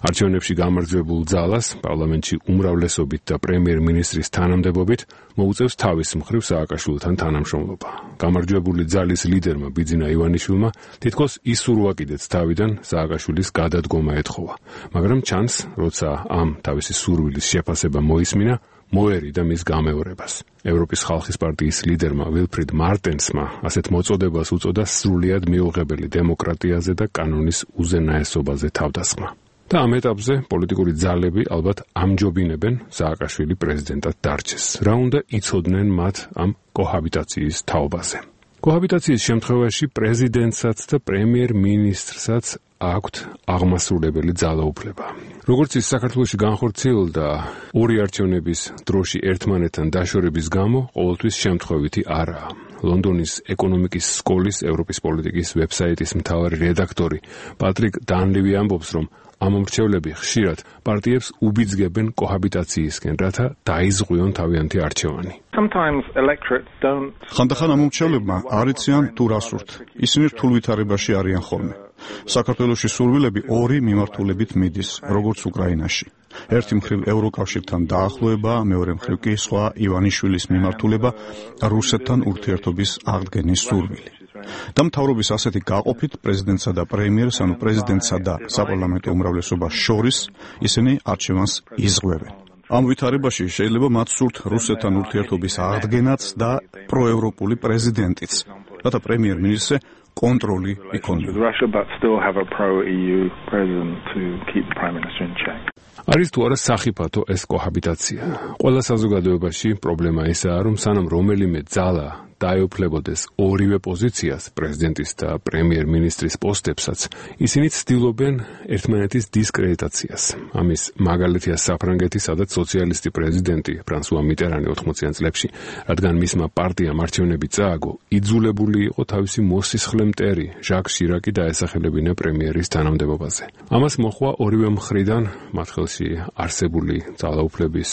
არჩევნებში გამარჯვებულ ძალას პარლამენტში უმრავლესობით და პრემიერ-მინისტრის თანამდებობით მოუწევს თავის მხრივ სააკაშვილთან თანამშრომლობა. გამარჯვებული ძალის ლიდერმა ბიძინა ივანიშვილმა თითქოს ისურვა კიდეც თავიდან სააკაშვილის გადადგომა ეთხოვა. მაგრამ ჩანს, როცა ამ თავისი სურვილის შეფასება მოისმინა, მოერიდა მის გამეორებას. ევროპის ხალხის პარტიის ლიდერმა ვილფრიდ მარტენსმა ასეთ მოწოდებას უწოდა სრულიად მიუღებელი დემოკრატიაზე და კანონის უზენაესობაზე თავდასხმა. და ამ ეტაპზე პოლიტიკური ძალები ალბათ ამჯობინებენ სააკაშვილი პრეზიდენტად დარჩეს. რა უნდა იცოდნენ მათ ამ კოჰაბიტაციის თაობაზე? კოჰაბიტაციის შემთხვევაში პრეზიდენტსაც და პრემიერ-მინისტრსაც აქვთ აღმასრულებელი ძალაუფლება. როგორც ის საქართველოში განხორციელდა ორი არჩევნების დროში ერთმანეთთან დაშორების გამო, ყოველთვის შემთხვევითი არაა. ლონდონის ეკონომიკის სკოლის ევროპის პოლიტიკის ვებსაიტის მთავარი რედაქტორი პატრიკ დანლივი ამბობს, რომ ამ მრჩევლები ხშირად პარტიებს უბიძგებენ კოჰაბიტაციისკენ, რათა დაიზღვიონ თავიანთი არჩევანი. ხანდახან ამ მრჩევლებმა არ იციან თუ რა სურთ. ისინი რთულ ვითარებაში არიან ხოლმე. საქართველოში სურვილები ორი მიმართულებით მიდის, როგორც უკრაინაში. ერთი მხრივ ევროკავშირთან დაახლოება, მეორე მხრივ კი სხვა ივანიშვილის მიმართულება რუსეთთან ურთიერთობის აღდგენის სურვილი. და მთავრობის ასეთი გაყოფით პრეზიდენტსა და პრემიერს, ანუ პრეზიდენტსა და საპარლამენტო უმრავლესობას შორის ისინი არჩევანს იზღვევენ. ამ ვითარებაში შეიძლება მათ სურთ რუსეთთან ურთიერთობის აღდგენაც და პროევროპული პრეზიდენტიც, რათა პრემიერ-მინისტრზე კონტროლი იქონია. არის თუ არა სახიფათო ეს კოჰაბიტაცია? ყველა საზოგადოებაში პრობლემა ისაა, რომ სანამ რომელიმე ძალა დაეუფლებოდეს ორივე პოზიციას, პრეზიდენტის და პრემიერ-მინისტრის პოსტებსაც, ისინი ცდილობენ ერთმანეთის დისკრედიტაციას. ამის მაგალითია საფრანგეთი, სადაც სოციალისტი პრეზიდენტი ფრანსუა მიტერანი 80-იან წლებში, რადგან მისმა პარტიამ არჩევნები წააგო, იძულებული იყო თავისი მოსისხლე მტერი ჟაკ შირაკი დაესახელებინა პრემიერის თანამდებობაზე. ამას მოჰყვა ორივე მხრიდან მათ ხელში არსებული ძალაუფლების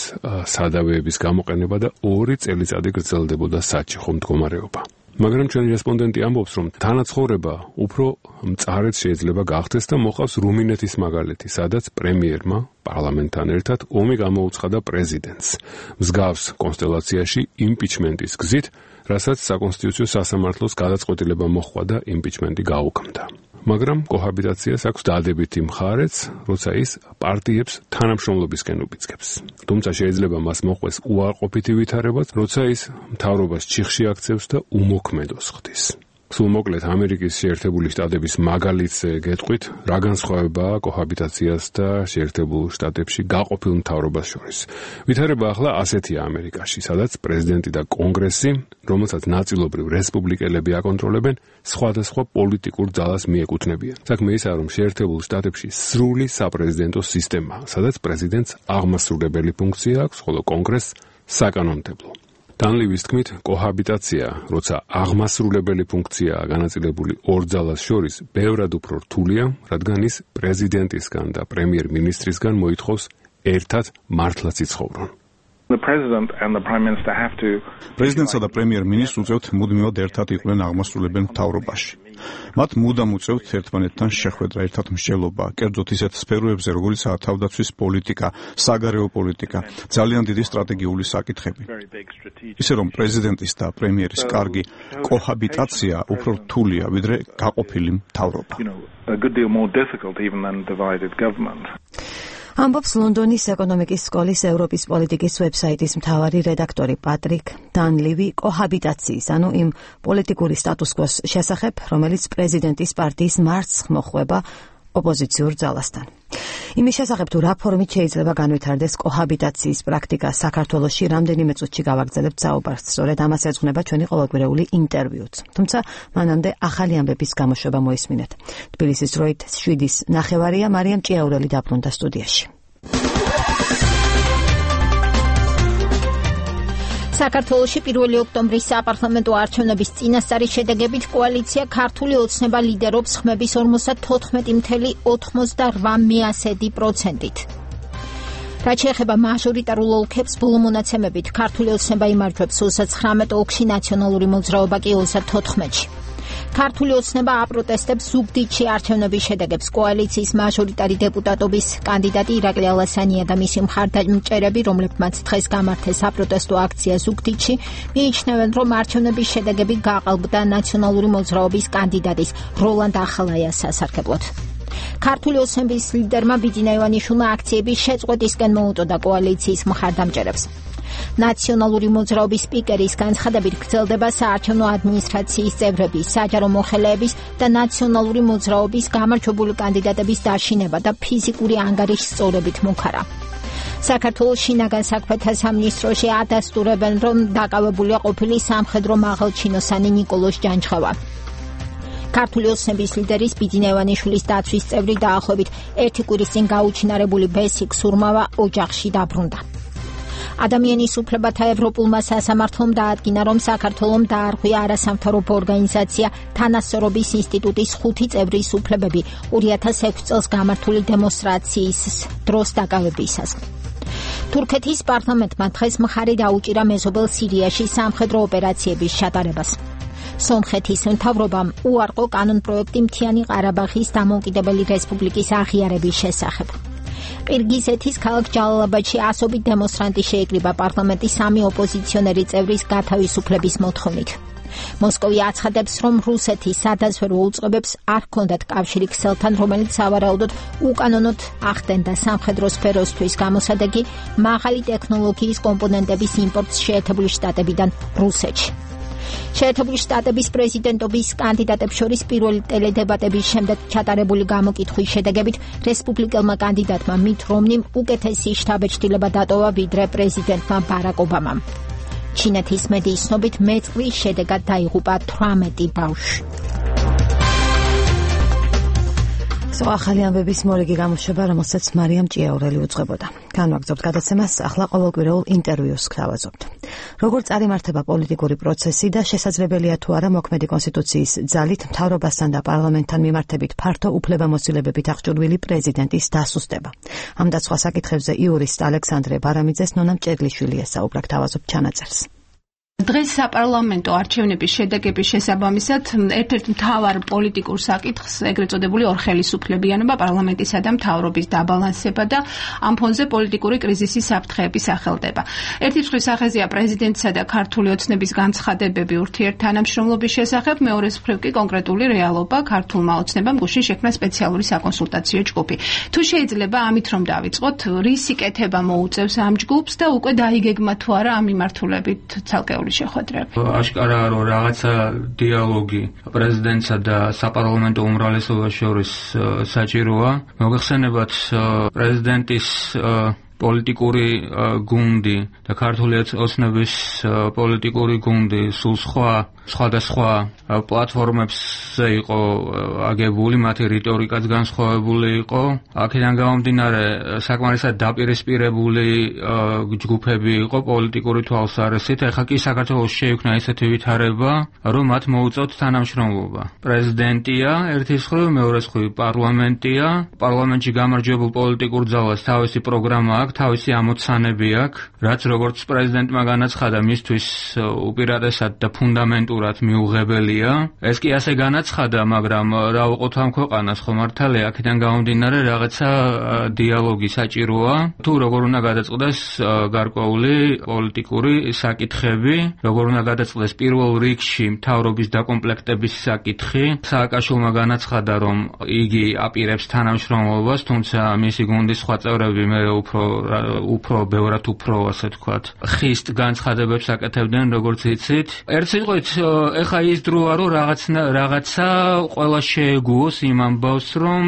სადავეების გამოყენება და 2 წელიწადი გრძელდებოდა საჩიხო მდგომარეობა. მაგრამ ჩვენი რესპონდენტი ამბობს, რომ თანაცხოვრება უფრო მწარედ შეიძლება გახდეს და მოყავს რუმინეთის მაგალითი, სადაც პრემიერმა პარლამენტთან ერთად ომი გამოუცხადა პრეზიდენტს. მსგავს კონსტელაციაში იმპიჩმენტის გზით, რასაც საკონსტიტუციო სასამართლოს გადაწყვეტილება მოჰყვა და იმპიჩმენტი გაუქმდა. მაგრამ კოჰაბიტაციას აქვს დადებითი მხარეც, როცა ის პარტიებს თანამშრომლობისკენ უბიძგებს. თუმცა შეიძლება მას მოყვეს უარყოფითი ვითარებაც, როცა ის მთავრობას ჩიხში აქცევს და უმოქმედოს ხდის. სულ მოკლედ ამერიკის შეერთებული შტატების მაგალითს გეტყვით, რა განსხვავებაა კოჰაბიტაციას და შეერთებულ შტატებში გაყოფილ მთავრობას შორის. ვითარება ახლა ასეთია ამერიკაში, სადაც პრეზიდენტი და კონგრესი, რომელსაც ნაწილობრივ რესპუბლიკელები აკონტროლებენ, სხვადასხვა პოლიტიკურ ძალას მიეკუთვნებიან. საქმე ისაა, რომ შეერთებულ შტატებში სრული საპრეზიდენტო სისტემაა, სადაც პრეზიდენტს აღმასრულებელი ფუნქცია აქვს, ხოლო კონგრესს საკანონმდებლო. დანლივის თქმით, კოჰაბიტაცია, როცა აღმასრულებელი ფუნქციაა განაწილებული ორ ძალას შორის, ბევრად უფრო რთულია, რადგან ის პრეზიდენტისგან და პრემიერ-მინისტრისგან მოითხოვს ერთად მართლაც იცხოვრონ. პრეზიდენტსა და პრემიერ-მინისტრს უწევთ მუდმივად ერთად იყვნენ აღმასრულებელ მთავრობაში. მათ მუდამ უწევთ ერთმანეთთან შეხვედრა, ერთად მსჯელობა, კერძოდ ისეთ სფეროებზე, როგორიცაა თავდაცვის პოლიტიკა, საგარეო პოლიტიკა, ძალიან დიდი სტრატეგიული საკითხები. ისე რომ პრეზიდენტის და პრემიერის კარგი კოჰაბიტაცია უფრო რთულია, ვიდრე გაყოფილი მთავრობა. ამბობს ლონდონის ეკონომიკის სკოლის ევროპის პოლიტიკის ვებსაიტის მთავარი რედაქტორი პატრიკ დანლივი კოჰაბიტაციის, ანუ იმ პოლიტიკური სტატუს-კვოს შესახებ, რომელიც პრეზიდენტის პარტიის მარცხს მოხვება ოპოზიციურ ძალასთან. იმის შესახებ თუ რა ფორმით შეიძლება განვითარდეს კოჰაბიტაციის პრაქტიკა საქართველოში, რამდენიმე წუთში გავაგრძელებთ საუბარს, სწორედ ამას ეძღვნება ჩვენი ყოველკვირეული ინტერვიუც. თუმცა მანამდე ახალი ამბების გამოშვება მოისმინეთ. თბილისის დროით 7:09 მარიამ ჭიაურელი დაბრუნდა სტუდიაში. საქართველოში 1 ოქტომბრის საპარლამენტო არჩევნების წინასწარი შედეგებით კოალიცია ქართული ოცნება ლიდერობს ხმების 54.88%-ით. რაც შეეხება მაჟორიტარულ ოლქებს, ბოლო მონაცემებით ქართული ოცნება იმარჯვებს 39 ოლქში, ნაციონალური მოძრაობა კი 34-ში. ქართული ოცნება აპროტესტებს ზუგდიდში არჩევნების შედეგებს. კოალიციის მაჟორიტარი დეპუტატობის კანდიდატი ირაკლი ალასანია და მისი მხარდამჭერები, რომლებმაც დღეს გამართეს აპროტესტო აქცია ზუგდიდში, მიიჩნევენ, რომ არჩევნების შედეგები გაყალბდა ნაციონალური მოძრაობის კანდიდატის როლანდ ახალაიას სასარგებლოდ. ქართული ოცნების ლიდერმა ბიძინა ივანიშვილმა აქციების შეწყვეტისკენ მოუწოდა კოალიციის მხარდამჭერებს. ნაციონალური მოძრაობის სპიკერის განცხადებით გრძელდება საარჩევნო ადმინისტრაციის წევრების, საჯარო მოხელეების და ნაციონალური მოძრაობის გამარჯვებული კანდიდატების დაშინება და ფიზიკური ანგარიშის სწორებით მოხარა. საქართველოს შინაგან საქმეთა სამინისტროში ადასტურებენ, რომ დაკავებულია ყოფილი სამხედრო მაღალჩინოსანი ნიკოლოზ ჯანჯღავა. ქართული ოცნების ლიდერის ბიძინა ივანიშვილის დაცვის წევრი დაახლოებით 1 კვირის წინ გაუჩინარებული ბესიკ სურმავა ოჯახში დაბრუნდა. ადამიანის უფლებათა ევროპულმა სასამართლომ დაადგინა, რომ საქართველომ დაარღვია არასამთავრობო ორგანიზაცია თანასწორობის ინსტიტუტის 5 წევრის უფლებები 2006 წელს გამართული დემონსტრაციის დროს დაკავებისას. თურქეთის პარლამენტმა დღეს მხარი დაუჭირა მეზობელ სირიაში სამხედრო ოპერაციების ჩატარებას. სომხეთის მთავრობამ უარყო კანონპროექტი მთიანი ყარაბაღის დამოუკიდებელი რესპუბლიკის აღიარების შესახებ. ყირგიზეთის ქალაქ ჯალალაბადში ასობით დემონსტრანტი შეიკრიბა პარლამენტის 3 ოპოზიციონერი წევრის გათავისუფლების მოთხოვნით. მოსკოვი აცხადებს, რომ რუსეთი სადაზვერვო უწყებებს არ ჰქონდათ კავშირი ქსელთან, რომელიც სავარაუდოდ უკანონოდ ახდენდა სამხედრო სფეროსთვის გამოსადეგი მაღალი ტექნოლოგიის კომპონენტების იმპორტს შეერთებული შტატებიდან რუსეთში. შეერთებული შტატების პრეზიდენტობის კანდიდატებს შორის პირველი ტელედებატების შემდეგ ჩატარებული გამოკითხვის შედეგებით რესპუბლიკელმა კანდიდატმა მით რომნიმ უკეთესი შთაბეჭდილება დატოვა ვიდრე პრეზიდენტმა ბარაკ ობამამ. ჩინეთის მედიის ცნობით მეწყრის შედეგად დაიღუპა 18 ბავშვი. ახალი ამბების მორიგი გამოშვება, რომელსაც მარიამ ჭიაურელი უძღვებოდა. განვაგრძობთ გადაცემას, ახლა ყოველკვირეულ ინტერვიუს გავაზობთ. როგორ წარიმართება პოლიტიკური პროცესი და შესაძლებელია თუ არა მოქმედი კონსტიტუციის ძალით მთავრობასთან და პარლამენტთან მიმართებით ფართო უფლებამოსილებებით აღჭურვილი პრეზიდენტის დასუსტება. ამ და სხვა საკითხებზე იურისტ ალექსანდრე ბარამიძეს ნონა მჭედლიშვილი ესაუბრა, გავაზობთ ჩანაწერს. დღეს საპარლამენტო არჩევნების შედეგების შესაბამისად ერთ-ერთ მთავარ პოლიტიკურ საკითხს, ეგრეთ წოდებული ორხელისუფლებიანობა, პარლამენტისა და მთავრობის დაბალანსება და ამ ფონზე პოლიტიკური კრიზისის საფრთხეების სახელდება. ერთი მხრივ სახეზეა პრეზიდენტსა და ქართული ოცნების განცხადებები ურთიერთთანამშრომლობის შესახებ, მეორე მხრივ კი კონკრეტული რეალობა, ქართულმა ოცნებამ გუშინ შექმნა სპეციალური საკონსულტაციო ჯგუფი. თუ შეიძლება ამით რომ დავიწყოთ, რისი კეთება მოუწევს ამ ჯგუფს და უკვე დაიგეგმა თუ არა ამ მიმართულებით ცალკეული შორის შეხვედრები. აშკარაა, რომ რაღაცა დიალოგი პრეზიდენტსა და საპარლამენტო უმრავლესობას შორის საჭიროა. მოგეხსენებათ პრეზიდენტის პოლიტიკური გუნდი და ქართული ოცნების პოლიტიკური გუნდი სულ სხვადასხვა პლატფორმებზე იყო აგებული, მათი რიტორიკაც განსხვავებული იყო. აქედან გამომდინარე, საკმარისად დაპირისპირებული ჯგუფები იყო პოლიტიკური თვალსაზრისით. ეხლა კი საქართველოს შეიქმნა ისეთი ვითარება, რომ მათ მოუწევთ თანამშრომლობა. პრეზიდენტია ერთის მხრივ, მეორეს მხრივ პარლამენტია. პარლამენტში გამარჯვებულ პოლიტიკურ ძალას თავისი პროგრამა აქვს, თავისი ამოცანები აქვს, რაც როგორც პრეზიდენტმა განაცხადა, მისთვის უპირატესად და ფუნდამენტურად მიუღებელია. ეს კი ასე განაცხადა, მაგრამ რა უყოთ ამ ქვეყანას, ხო მართალია, აქედან გამომდინარე რაღაცა დიალოგი საჭიროა. თუ როგორ უნდა გადაწყდეს გარკვეული პოლიტიკური საკითხები, როგორ უნდა გადაწყდეს პირველ რიგში მთავრობის დაკომპლექტების საკითხი. სააკაშვილმა განაცხადა, რომ იგი აპირებს თანამშრომლობას, თუმცა მისი გუნდის სხვა წევრები მე უფრო ბევრად უფრო ასე ვთქვათ, ხისტ განცხადებებს აკეთებდნენ, როგორც იცით. ერთ სიტყვით, ეხა ის დროა, რომ რაღაცა ყველა შეეგუოს იმ ამბავს, რომ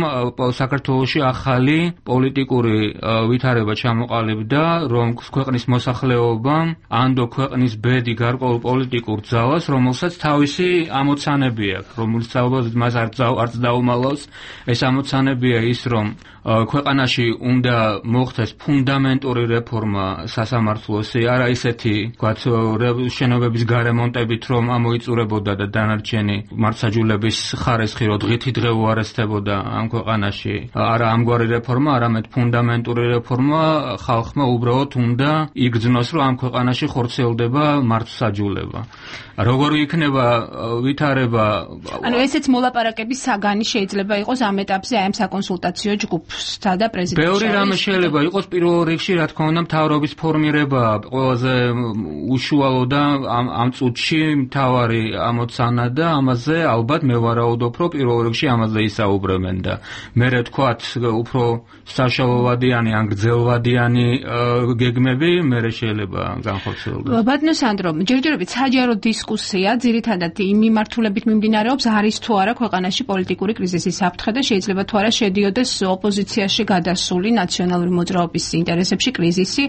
საქართველოში ახალი პოლიტიკური ვითარება ჩამოყალიბდა, რომ ქვეყნის მოსახლეობამ ანდო ქვეყნის ბედი გარკვეულ პოლიტიკურ ძალას, რომელსაც თავისი ამოცანები აქვს, რომელიც ალბათ მას არც დაუმალავს. ეს ამოცანებია ის, რომ ქვეყანაში უნდა მოხდეს ფუნდამენტური რეფორმა სასამართლოსი, არა ისეთი, ვთქვათ, შენობების გარემონტებით, რომ ამოიწურებოდა და დანარჩენი მართლმსაჯულების ხარისხი რო დღითი დღე უარესდებოდა ამ ქვეყანაში. არა ამგვარი რეფორმა, არამედ ფუნდამენტური რეფორმა ხალხმა უბრალოდ უნდა იგრძნოს, რომ ამ ქვეყანაში ხორციელდება მართლმსაჯულება. როგორ იქნება ვითარება? ანუ ესეც მოლაპარაკების საგანი შეიძლება იყოს ამ ეტაპზე აი ამ საკონსულტაციო ჯგუფსა და პრეზიდენტის. ბევრი რამე შეიძლება იყოს. პირველ რიგში, რა თქმა უნდა, მთავრობის ფორმირება ყველაზე უშუალო და ამ წუთში მთავარი ამოცანა და ამაზე ალბათ მე ვარაუდობ, რომ პირველ რიგში ამაზე ისაუბრებენ და მე ვთქვათ, უფრო საშუალოვადიანი ან გრძელვადიანი გეგმები მე შეიძლება განხორციელდეს. ბატონო სანდრო, ჯერჯერობით საჯარო დისკუსია ძირითადად იმ მიმართულებით მიმდინარეობს, არის თუ არა ქვეყანაში პოლიტიკური კრიზისის საფრთხე და შეიძლება თუ არა შედიოდეს ოპოზიციაში გადასული ნაციონალური მოძრაობის ინტერესებში კრიზისი,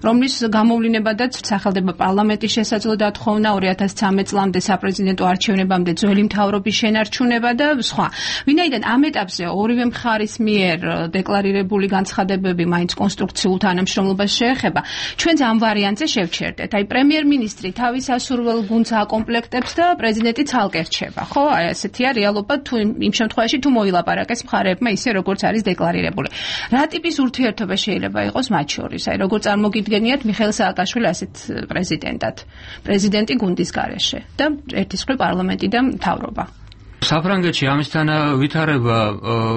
რომლის გამოვლინებადაც სახელდება პარლამენტის შესაძლო დათხოვნა 2013 წლამდე საპრეზიდენტო არჩევნებამდე ძველი მთავრობის შენარჩუნება და სხვა. ვინაიდან ამ ეტაპზე ორივე მხარის მიერ დეკლარირებული განცხადებები მაინც კონსტრუქციულ თანამშრომლობას შეეხება, ჩვენც ამ ვარიანტზე შევჩერდეთ. აი პრემიერ-მინისტრი თავის ასურველ გუნდს აკომპლექტებს და პრეზიდენტი ცალკე რჩება. ხო, აი ასეთია რეალობა თუ იმ შემთხვევაში თუ მოილაპარაკეს მხარეებმა ისე როგორც არის დეკლარირებული. რა ტიპის ურთიერთობა შეიძლება იყოს მათ შორის? აი როგორ წარმოგიდგენიათ მიხეილ სააკაშვილი ასეთ პრეზიდენტად, პრეზიდენტი გუნდის გარეშე და ერთის მხრივ პარლამენტი და მთავრობა. საფრანგეთში ამისთან ვითარება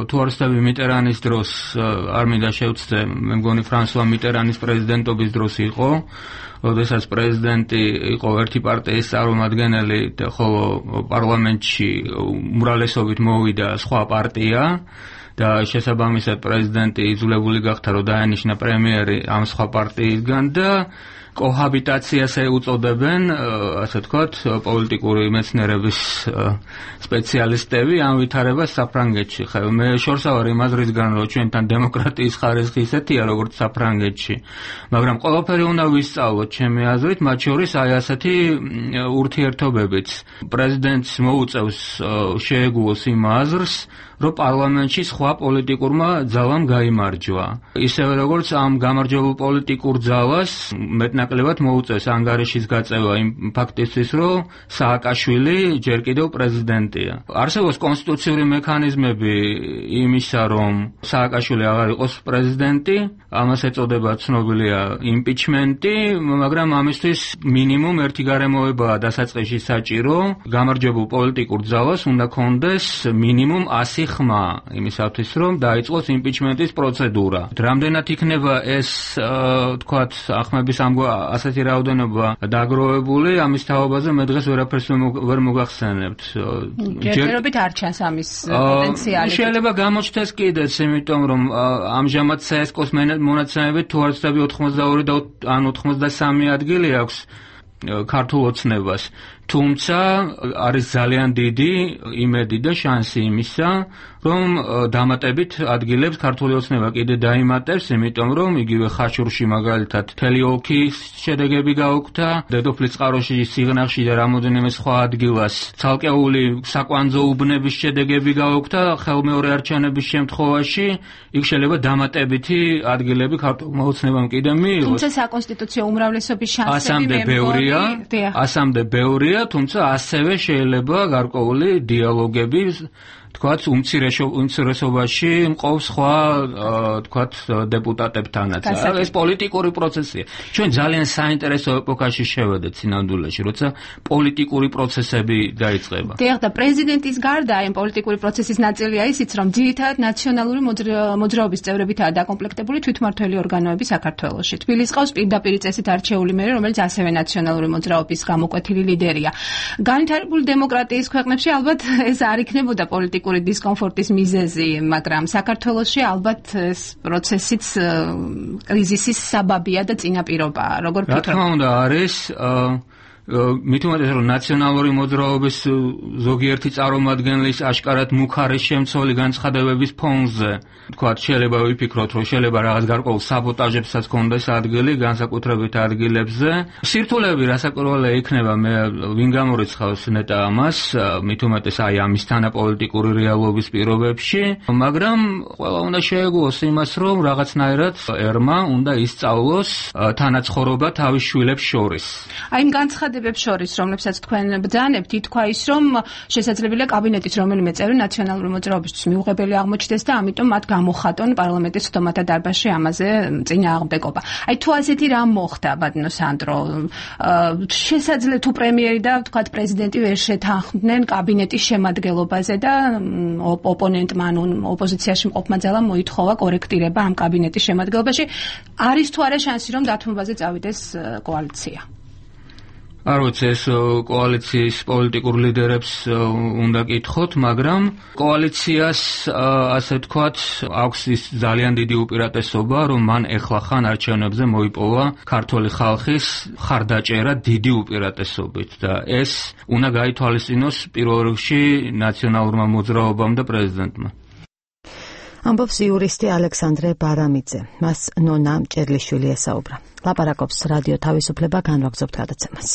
თუ არ ვცდები მიტერანის დროს არ მინდა შევცდე, მე მგონი ფრანსუა მიტერანის პრეზიდენტობის დროს იყო, როდესაც პრეზიდენტი იყო ერთი პარტიის წარმომადგენელი და ხოლო პარლამენტში უმრავლესობით მოვიდა სხვა პარტია და შესაბამისად პრეზიდენტი იძულებული გახდა, რომ დაენიშნა პრემიერი ამ სხვა პარტიისგან და კოჰაბიტაციას ეუწოდებენ, ასე ვთქვათ, პოლიტიკური მეცნიერების სპეციალისტები ამ ვითარებას საფრანგეთში. მე შორსა ვარ იმ აზრისგან, რომ ჩვენთან დემოკრატიის ხარისხი ისეთია, როგორც საფრანგეთში, მაგრამ ყველაფერი უნდა ვისწავლოთ, ჩემი აზრით, მათ შორის აი ასეთი ურთიერთობებიც. პრეზიდენტს მოუწევს შეეგუოს იმ აზრს, რომ პარლამენტში სხვა პოლიტიკურმა ძალამ გაიმარჯვა. ისევე როგორც ამ გამარჯვებულ პოლიტიკურ ძალას მეტნაკლებად მოუწევს ანგარიშის გაწევა იმ ფაქტისთვის, რომ სააკაშვილი ჯერ კიდევ პრეზიდენტია. არსებობს კონსტიტუციური მექანიზმები იმისა, რომ სააკაშვილი აღარ იყოს პრეზიდენტი, ამას ეწოდება ცნობილია იმპიჩმენტი, მაგრამ ამისთვის მინიმუმ ერთი გარემოებაა დასაწყისში საჭირო, გამარჯვებულ პოლიტიკურ ძალას უნდა ქონდეს მინიმუმ 100 ხმა იმისათვის, რომ დაიწყოს იმპიჩმენტის პროცედურა. რამდენად იქნება ეს, თქვათ, ახმების ასეთი რაოდენობა დაგროვებული, ამის თაობაზე მე დღეს ვერაფერს ვერ მოგახსენებთ. ჯერჯერობით არ ჩანს ამის პოტენციალი. შეიძლება გამოჩნდეს კიდეც, იმიტომ რომ ამჟამად CSKO-ს მონაცემებით თუ არ ვცდები 82 და ან 83 ადგილი აქვს ქართულ ოცნებას. თუმცა არის ძალიან დიდი იმედი და შანსი იმისა, რომ დამატებით ადგილებს ქართული ოცნება კიდე დაიმატებს, იმიტომ რომ იგივე ხაშურში მაგალითად მთელი ოლქის შედეგები გაუქმდა, დედოფლის წყაროში, სიღნაღში და რამოდენიმე სხვა ადგილას ცალკეული საკვანძო უბნების შედეგები გაუქმდა, ხელმეორე არჩევნების შემთხვევაში იქ შეიძლება დამატებითი ადგილები ქართულმა ოცნებამ კიდე მიიღოს. თუმცა საკონსტიტუციო უმრავლესობის შანსები ასამდე ბევრია, თუმცა ასევე შეიძლება გარკვეული დიალოგები თქვათ უმცირესობაში მყოფ სხვა თქვათ დეპუტატებთანაც. ეს პოლიტიკური პროცესია. ჩვენ ძალიან საინტერესო ეპოქაში შევედეთ სინამდვილეში, როცა პოლიტიკური პროცესები დაიწყება. დიახ, და პრეზიდენტის გარდა იმ პოლიტიკური პროცესის ნაწილია ისიც, რომ ძირითადად ნაციონალური მოძრაობის წევრებითაა დაკომპლექტებული თვითმმართველი ორგანოები საქართველოში. თბილისს ყავს პირდაპირ წესით არჩეული მერე, რომელიც ასევე ნაციონალური მოძრაობის გამოკვეთილი ლიდერია. განვითარებული დემოკრატიის ქვეყნებში ალბათ ეს არ იქნებოდა პოლიტიკური დისკომფორტის მიზეზი, მაგრამ საქართველოში ალბათ ეს პროცესიც კრიზისის საბაბია და წინაპირობაა. როგორ ფიქრობთ? რა თქმა უნდა არის მით უმეტეს რომ ნაციონალური მოძრაობის ზოგიერთი წარმომადგენლის აშკარად მუქარი შემცველი განცხადებების ფონზე თქვათ შეიძლება ვიფიქროთ რომ შეიძლება რაღაც გარკვეულ საბოტაჟებსაც ქონდეს ადგილი განსაკუთრებით ადგილებზე სირთულეები რასაკვირველია იქნება მე ვინ გამორიცხავს ნეტა ამას მით უმეტეს აი ამის თანაპოლიტიკური რეალობის პირობებში მაგრამ ყველა უნდა შეეგუოს იმას რომ რაღაცნაირად ერმა უნდა ისწავლოს თანაცხოვრობა თავის შვილებს შორის აი იმ განცხადებებს შორის რომლებსაც თქვენ ბრძანებთ ითქვა ის რომ შესაძლებელია კაბინეტის რომელიმე წევრი ნაციონალური მოძრაობისთვის მიუღებელი აღმოჩნდეს და ამიტომ მათ გამოხატონ პარლამენტის სხდომათა დარბაზში ამაზე წინააღმდეგობა. აი თუ ასეთი რამ მოხდა ბატონო სანდრო შესაძლოა თუ პრემიერი და თქვათ პრეზიდენტი ვერ შეთანხმდნენ კაბინეტის შემადგენლობაზე და ოპონენტმა ანუ ოპოზიციაში მყოფმა ძალამ მოითხოვა კორექტირება ამ კაბინეტის შემადგენლობაში არის თუ არა შანსი რომ დათმობაზე წავიდეს კოალიცია არ ვიცი ეს კოალიციის პოლიტიკურ ლიდერებს უნდა კითხოთ, მაგრამ კოალიციას ასე თქვათ აქვს ის ძალიან დიდი უპირატესობა, რომ მან ეხლახან არჩევნებზე მოიპოვა ქართული ხალხის ხარდაჭერა დიდი უპირატესობით და ეს უნდა გაითვალისწინოს პირველ რიგში ნაციონალურმა მოძრაობამ და პრეზიდენტმა. ამბობს იურისტი ალექსანდრე ბარამიძე. მას ნონა მჭედლიშვილი ესაუბრა. ლაპარაკობს რადიო თავისუფლება განვაგრძობთ გადაცემას.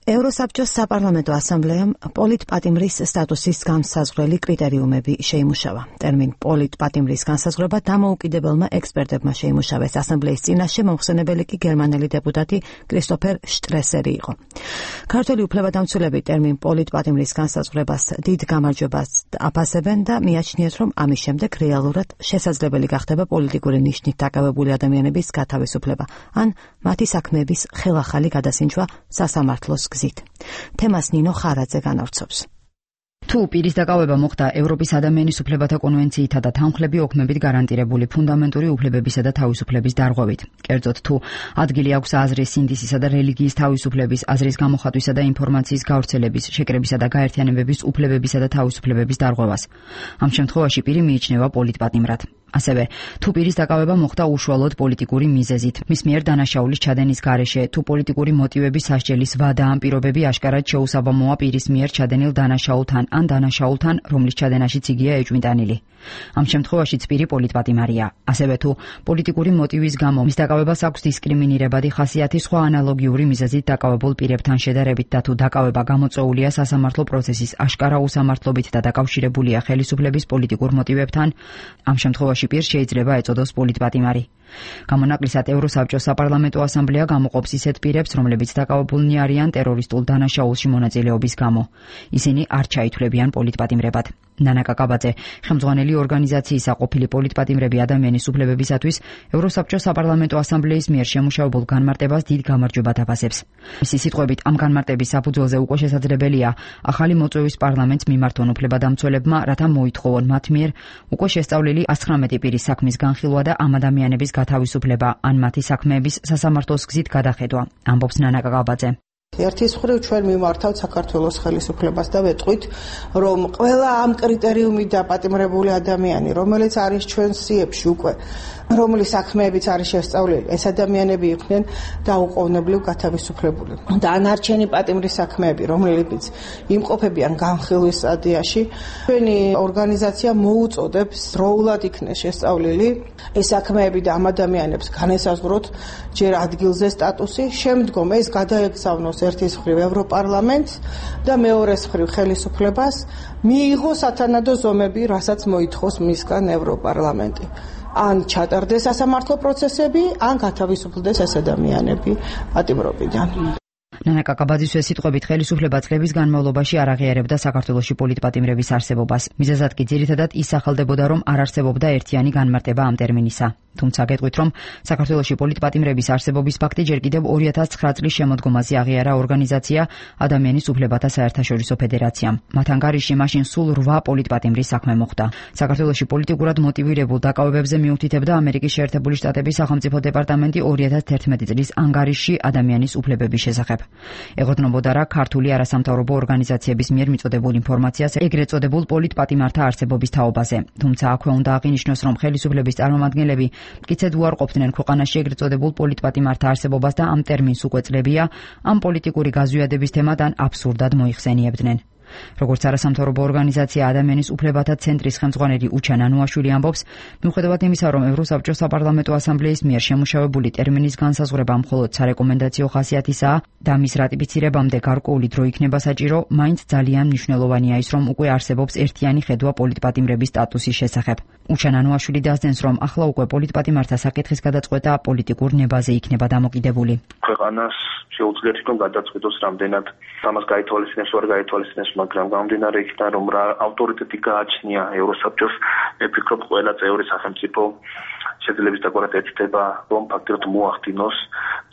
ევროსაბჭოს საპარლამენტო ასამბლეამ პოლიტპატიმრის სტატუსის განსაზღვრელი კრიტერიუმები შეიმუშავა. ტერმინ პოლიტპატიმრის განსაზღვრება დამოუკიდებელმა ექსპერტებმა შეიმუშავეს. ასამბლეის წინაშე მომხსენებელი კი გერმანელი დეპუტატი კრისტოფერ შტრესერი იყო. ქართველი უფლებადამცველები ტერმინ პოლიტპატიმრის განსაზღვრებას დიდ გამარჯვებას აფასებენ და მიაჩნიათ, რომ ამის შემდეგ რეალურად შესაძლებელი გახდება პოლიტიკური ნიშნით დაკავებული ადამიანების გათავისუფლება ან მათი საქმეების ხელახალი გადასინჯვა სასამართლოს გზით. თემას ნინო ხარაძე განავრცობს. თუ პირის დაკავება მოხდა ევროპის ადამიანის უფლებათა კონვენციითა და თანხლები ოქმებით გარანტირებული ფუნდამენტური უფლებებისა და თავისუფლების დარღვევით. კერძოდ თუ ადგილი აქვს აზრის, სინდისისა და რელიგიის თავისუფლების, აზრის გამოხატვისა და ინფორმაციის გავრცელების, შეკრებისა და გაერთიანებების უფლებებისა და თავისუფლებების დარღვევას. ამ შემთხვევაში პირი მიიჩნევა პოლიტპატიმრად. ასევე, თუ პირის დაკავება მოხდა უშუალოდ პოლიტიკური მიზეზით, მის მიერ დანაშაულის ჩადენის გარეშე, თუ პოლიტიკური მოტივების სასჯელის ვადა ან პირობები აშკარად შეუსაბამოა პირის მიერ ჩადენილ დანაშაულთან ან დანაშაულთან, რომლის ჩადენაშიც იგია ეჭვმიტანილი. ამ შემთხვევაშიც პირი პოლიტპატიმარია. ასევე თუ პოლიტიკური მოტივის გამო მის დაკავებას აქვს დისკრიმინირებადი ხასიათი სხვა ანალოგიური მიზეზით დაკავებულ პირებთან შედარებით და თუ დაკავება გამოწვეულია სასამართლო პროცესის აშკარა უსამართლობით და დაკავშირებულია ხელისუფლების პოლიტიკურ მოტივებთან, ამ შემთხვევაში პირს შეიძლება ეწოდოს პოლიტპატიმარი. გამონაკლისად ევროსაბჭოს საპარლამენტო ასამბლეა გამოყოფს ისეთ პირებს, რომლებიც დაკავებულნი არიან ტერორისტულ დანაშაულში მონაწილეობის გამო. ისინი არ ჩაითვლებიან პოლიტპატიმრებად. ნანა კაკაბაძე, ხელმძღვანელი ორგანიზაციისა ყოფილი პოლიტპატიმრები ადამიანის უფლებებისათვის ევროსაბჭოს საპარლამენტო ასამბლეის მიერ შემუშავებულ განმარტებას დიდ გამარჯვებად აფასებს. მისი სიტყვებით, ამ განმარტების საფუძველზე უკვე შესაძლებელია ახალი მოწვევის პარლამენტს მიმართონ უფლებადამცველებმა, რათა მოითხოვონ მათ მიერ უკვე შესწავლილი 119 პირის საქმის განხილვა და ამ ადამიანების გათავისუფლება ან მათი საქმეების სასამართლოს გზით გადახედვა. ამბობს ნანა კაკაბაძე. ერთის მხრივ ჩვენ მიმართავთ საქართველოს ხელისუფლებას და ვეტყვით, რომ ყველა ამ კრიტერიუმით დაპატიმრებული ადამიანი, რომელიც არის ჩვენ სიებში უკვე, რომლის საქმეებიც არის შესწავლილი, ეს ადამიანები იყვნენ დაუყოვნებლივ გათავისუფლებული. და ანარჩენი პატიმრის საქმეები, რომლებიც იმყოფებიან განხილვის სტადიაში, ჩვენი ორგანიზაცია მოუწოდებს დროულად იქნეს შესწავლილი ეს საქმეები და ამ ადამიანებს განესაზღვროთ ჯერ ადგილზე სტატუსი, შემდგომ ეს გადაეგზავნოს ერთის მხრივ ევროპარლამენტს და მეორეს მხრივ ხელისუფლებას მიიღოს სათანადო ზომები, რასაც მოითხოვს მისგან ევროპარლამენტი. ან ჩატარდეს სასამართლო პროცესები, ან გათავისუფლდეს ეს ადამიანები პატიმრობიდან. ნანა კაკაბაძის სიტყვებით ხელისუფლება წლების განმავლობაში არ აღიარებდა საქართველოში პოლიტპატიმრების არსებობას. მიზეზად კი ძირითადად ის სახელდებოდა, რომ არ არსებობდა ერთიანი განმარტება ამ ტერმინისა. თუმცა გეტყვით, რომ საქართველოში პოლიტპატიმრების არსებობის ფაქტი ჯერ კიდევ 2009 წლის შემოდგომაზე აღიარა ორგანიზაცია ადამიანის უფლებათა საერთაშორისო ფედერაციამ. მათ ანგარიში მაშინ სულ 8 პოლიტპატიმრის საქმე მოხდა. საქართველოში პოლიტიკურად მოტივირებულ დაკავებებზე მიუთითებდა ამერიკის შეერთებული შტატების სახელმწიფო დეპარტამენტი 2011 წლის ანგარიში ადამიანის უფლებების შესახებ. ეყრდნობოდა რა ქართული არასამთავრობო ორგანიზაციების მიერ მიწოდებულ ინფორმაციას ეგრეთ წოდებულ პოლიტპატიმართა არსებობის თაობაზე. თუმცა აქვე უნდა აღინიშნოს, რომ ხელისუფლების წარმომადგენლები მტკიცედ უარყოფდნენ ქვეყანაში ეგრეთ წოდებულ პოლიტპატიმართა არსებობას და ამ ტერმინს უკვე წლებია ამ პოლიტიკური გაზვიადების თემად აბსურდად მოიხსენიებდნენ. როგორც არასამთავრობო ორგანიზაცია ადამიანის უფლებათა ცენტრის ხელმძღვანელი უჩან ანუაშვილი ამბობს, მიუხედავად იმისა, რომ ევროსაბჭოს საპარლამენტო ასამბლეის მიერ შემუშავებული ტერმინის განსაზღვრება მხოლოდ სარეკომენდაციო ხასიათისაა და მის რატიფიცირებამდე გარკვეული დრო იქნება საჭირო, მაინც ძალიან მნიშვნელოვანია ის, რომ უკვე არსებობს ერთიანი ხედვა პოლიტპატიმრების სტატუსის შესახებ. უჩან ანუაშვილი დასძენს, რომ ახლა უკვე პოლიტპატიმართა საკითხის გადაწყვეტა პოლიტიკურ ნებაზე იქნება დამოკიდებული. ქვეყანას შეუძლიათ რომ გადაწყვეტოს რამდენად ამას გაითვალისწინებს, ვერ გაითვალისწინებს, მაგრამ გამომდინარე იქიდან, რომ რა ავტორიტეტი გააჩნია ევროსაბჭოს, მე ვფიქრობ, ყველა წევრი სახელმწიფო შეძლებს დაგვარად ეცდება, რომ ფაქტობრივად მოახდინოს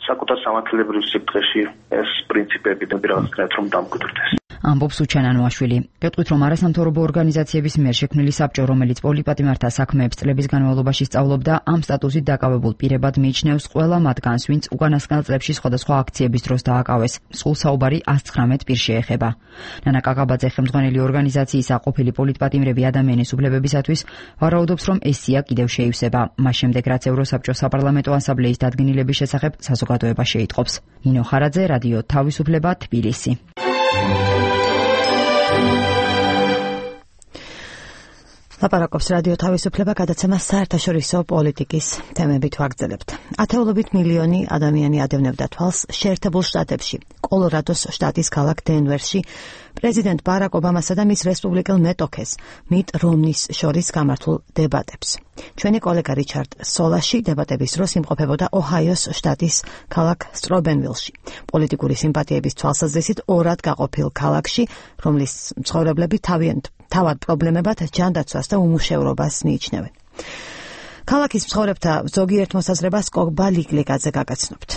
საკუთარ სამართლებრივ სიბრტყეში ეს პრინციპები და რაღაცნაირად რომ დამკვიდრდეს. ამბობს უჩან ანუაშვილი. გეტყვით, რომ არასამთავრობო ორგანიზაციების მიერ შექმნილი საბჭო, რომელიც პოლიტპატიმართა საქმეებს წლების განმავლობაში სწავლობდა, ამ სტატუსით დაკავებულ პირებად მიიჩნევს ყველა მათგანს, ვინც უკანასკნელ წლებში სხვადასხვა აქციების დროს დააკავეს. სულ საუბარი 119 პირს შეეხება. ნანა კაკაბაძე ხელმძღვანელი ორგანიზაციისა ყოფილი პოლიტპატიმრები ადამიანის უფლებებისათვის ვარაუდობს, რომ ეს სია კიდევ შეივსება. მას შემდეგ, რაც ევროსაბჭოს საპარლამენტო ასამბლეის დადგენილების შესახებ საზოგადოება შეიტყობს. ნინო ხარაძე, რადიო თავისუფლება, თბილისი. ლაპარაკობს რადიო თავისუფლება გადაცემა საერთაშორისო პოლიტიკის თემებით ვაგრძელებთ. ათეულობით მილიონი ადამიანი ადევნებდა თვალს შეერთებულ შტატებში, კოლორადოს შტატის ქალაქ დენვერში პრეზიდენტ ბარაკ ობამასა და მის რესპუბლიკელ მეტოქეს მიტ რომნის შორის გამართულ დებატებს. ჩვენი კოლეგა რიჩარდ სოლაში დებატების დროს იმყოფებოდა ოჰაიოს შტატის ქალაქ სტრობენვილში, პოლიტიკური სიმპათიების თვალსაზრისით ორად გაყოფილ ქალაქში, რომლის მცხოვრებლები თავად პრობლემებად ჯანდაცვას და უმუშევრობას მიიჩნევენ. ქალაქის მცხოვრებთა ზოგიერთ მოსაზრებას კოგბა ლიგლიგაძე გაგაცნობთ.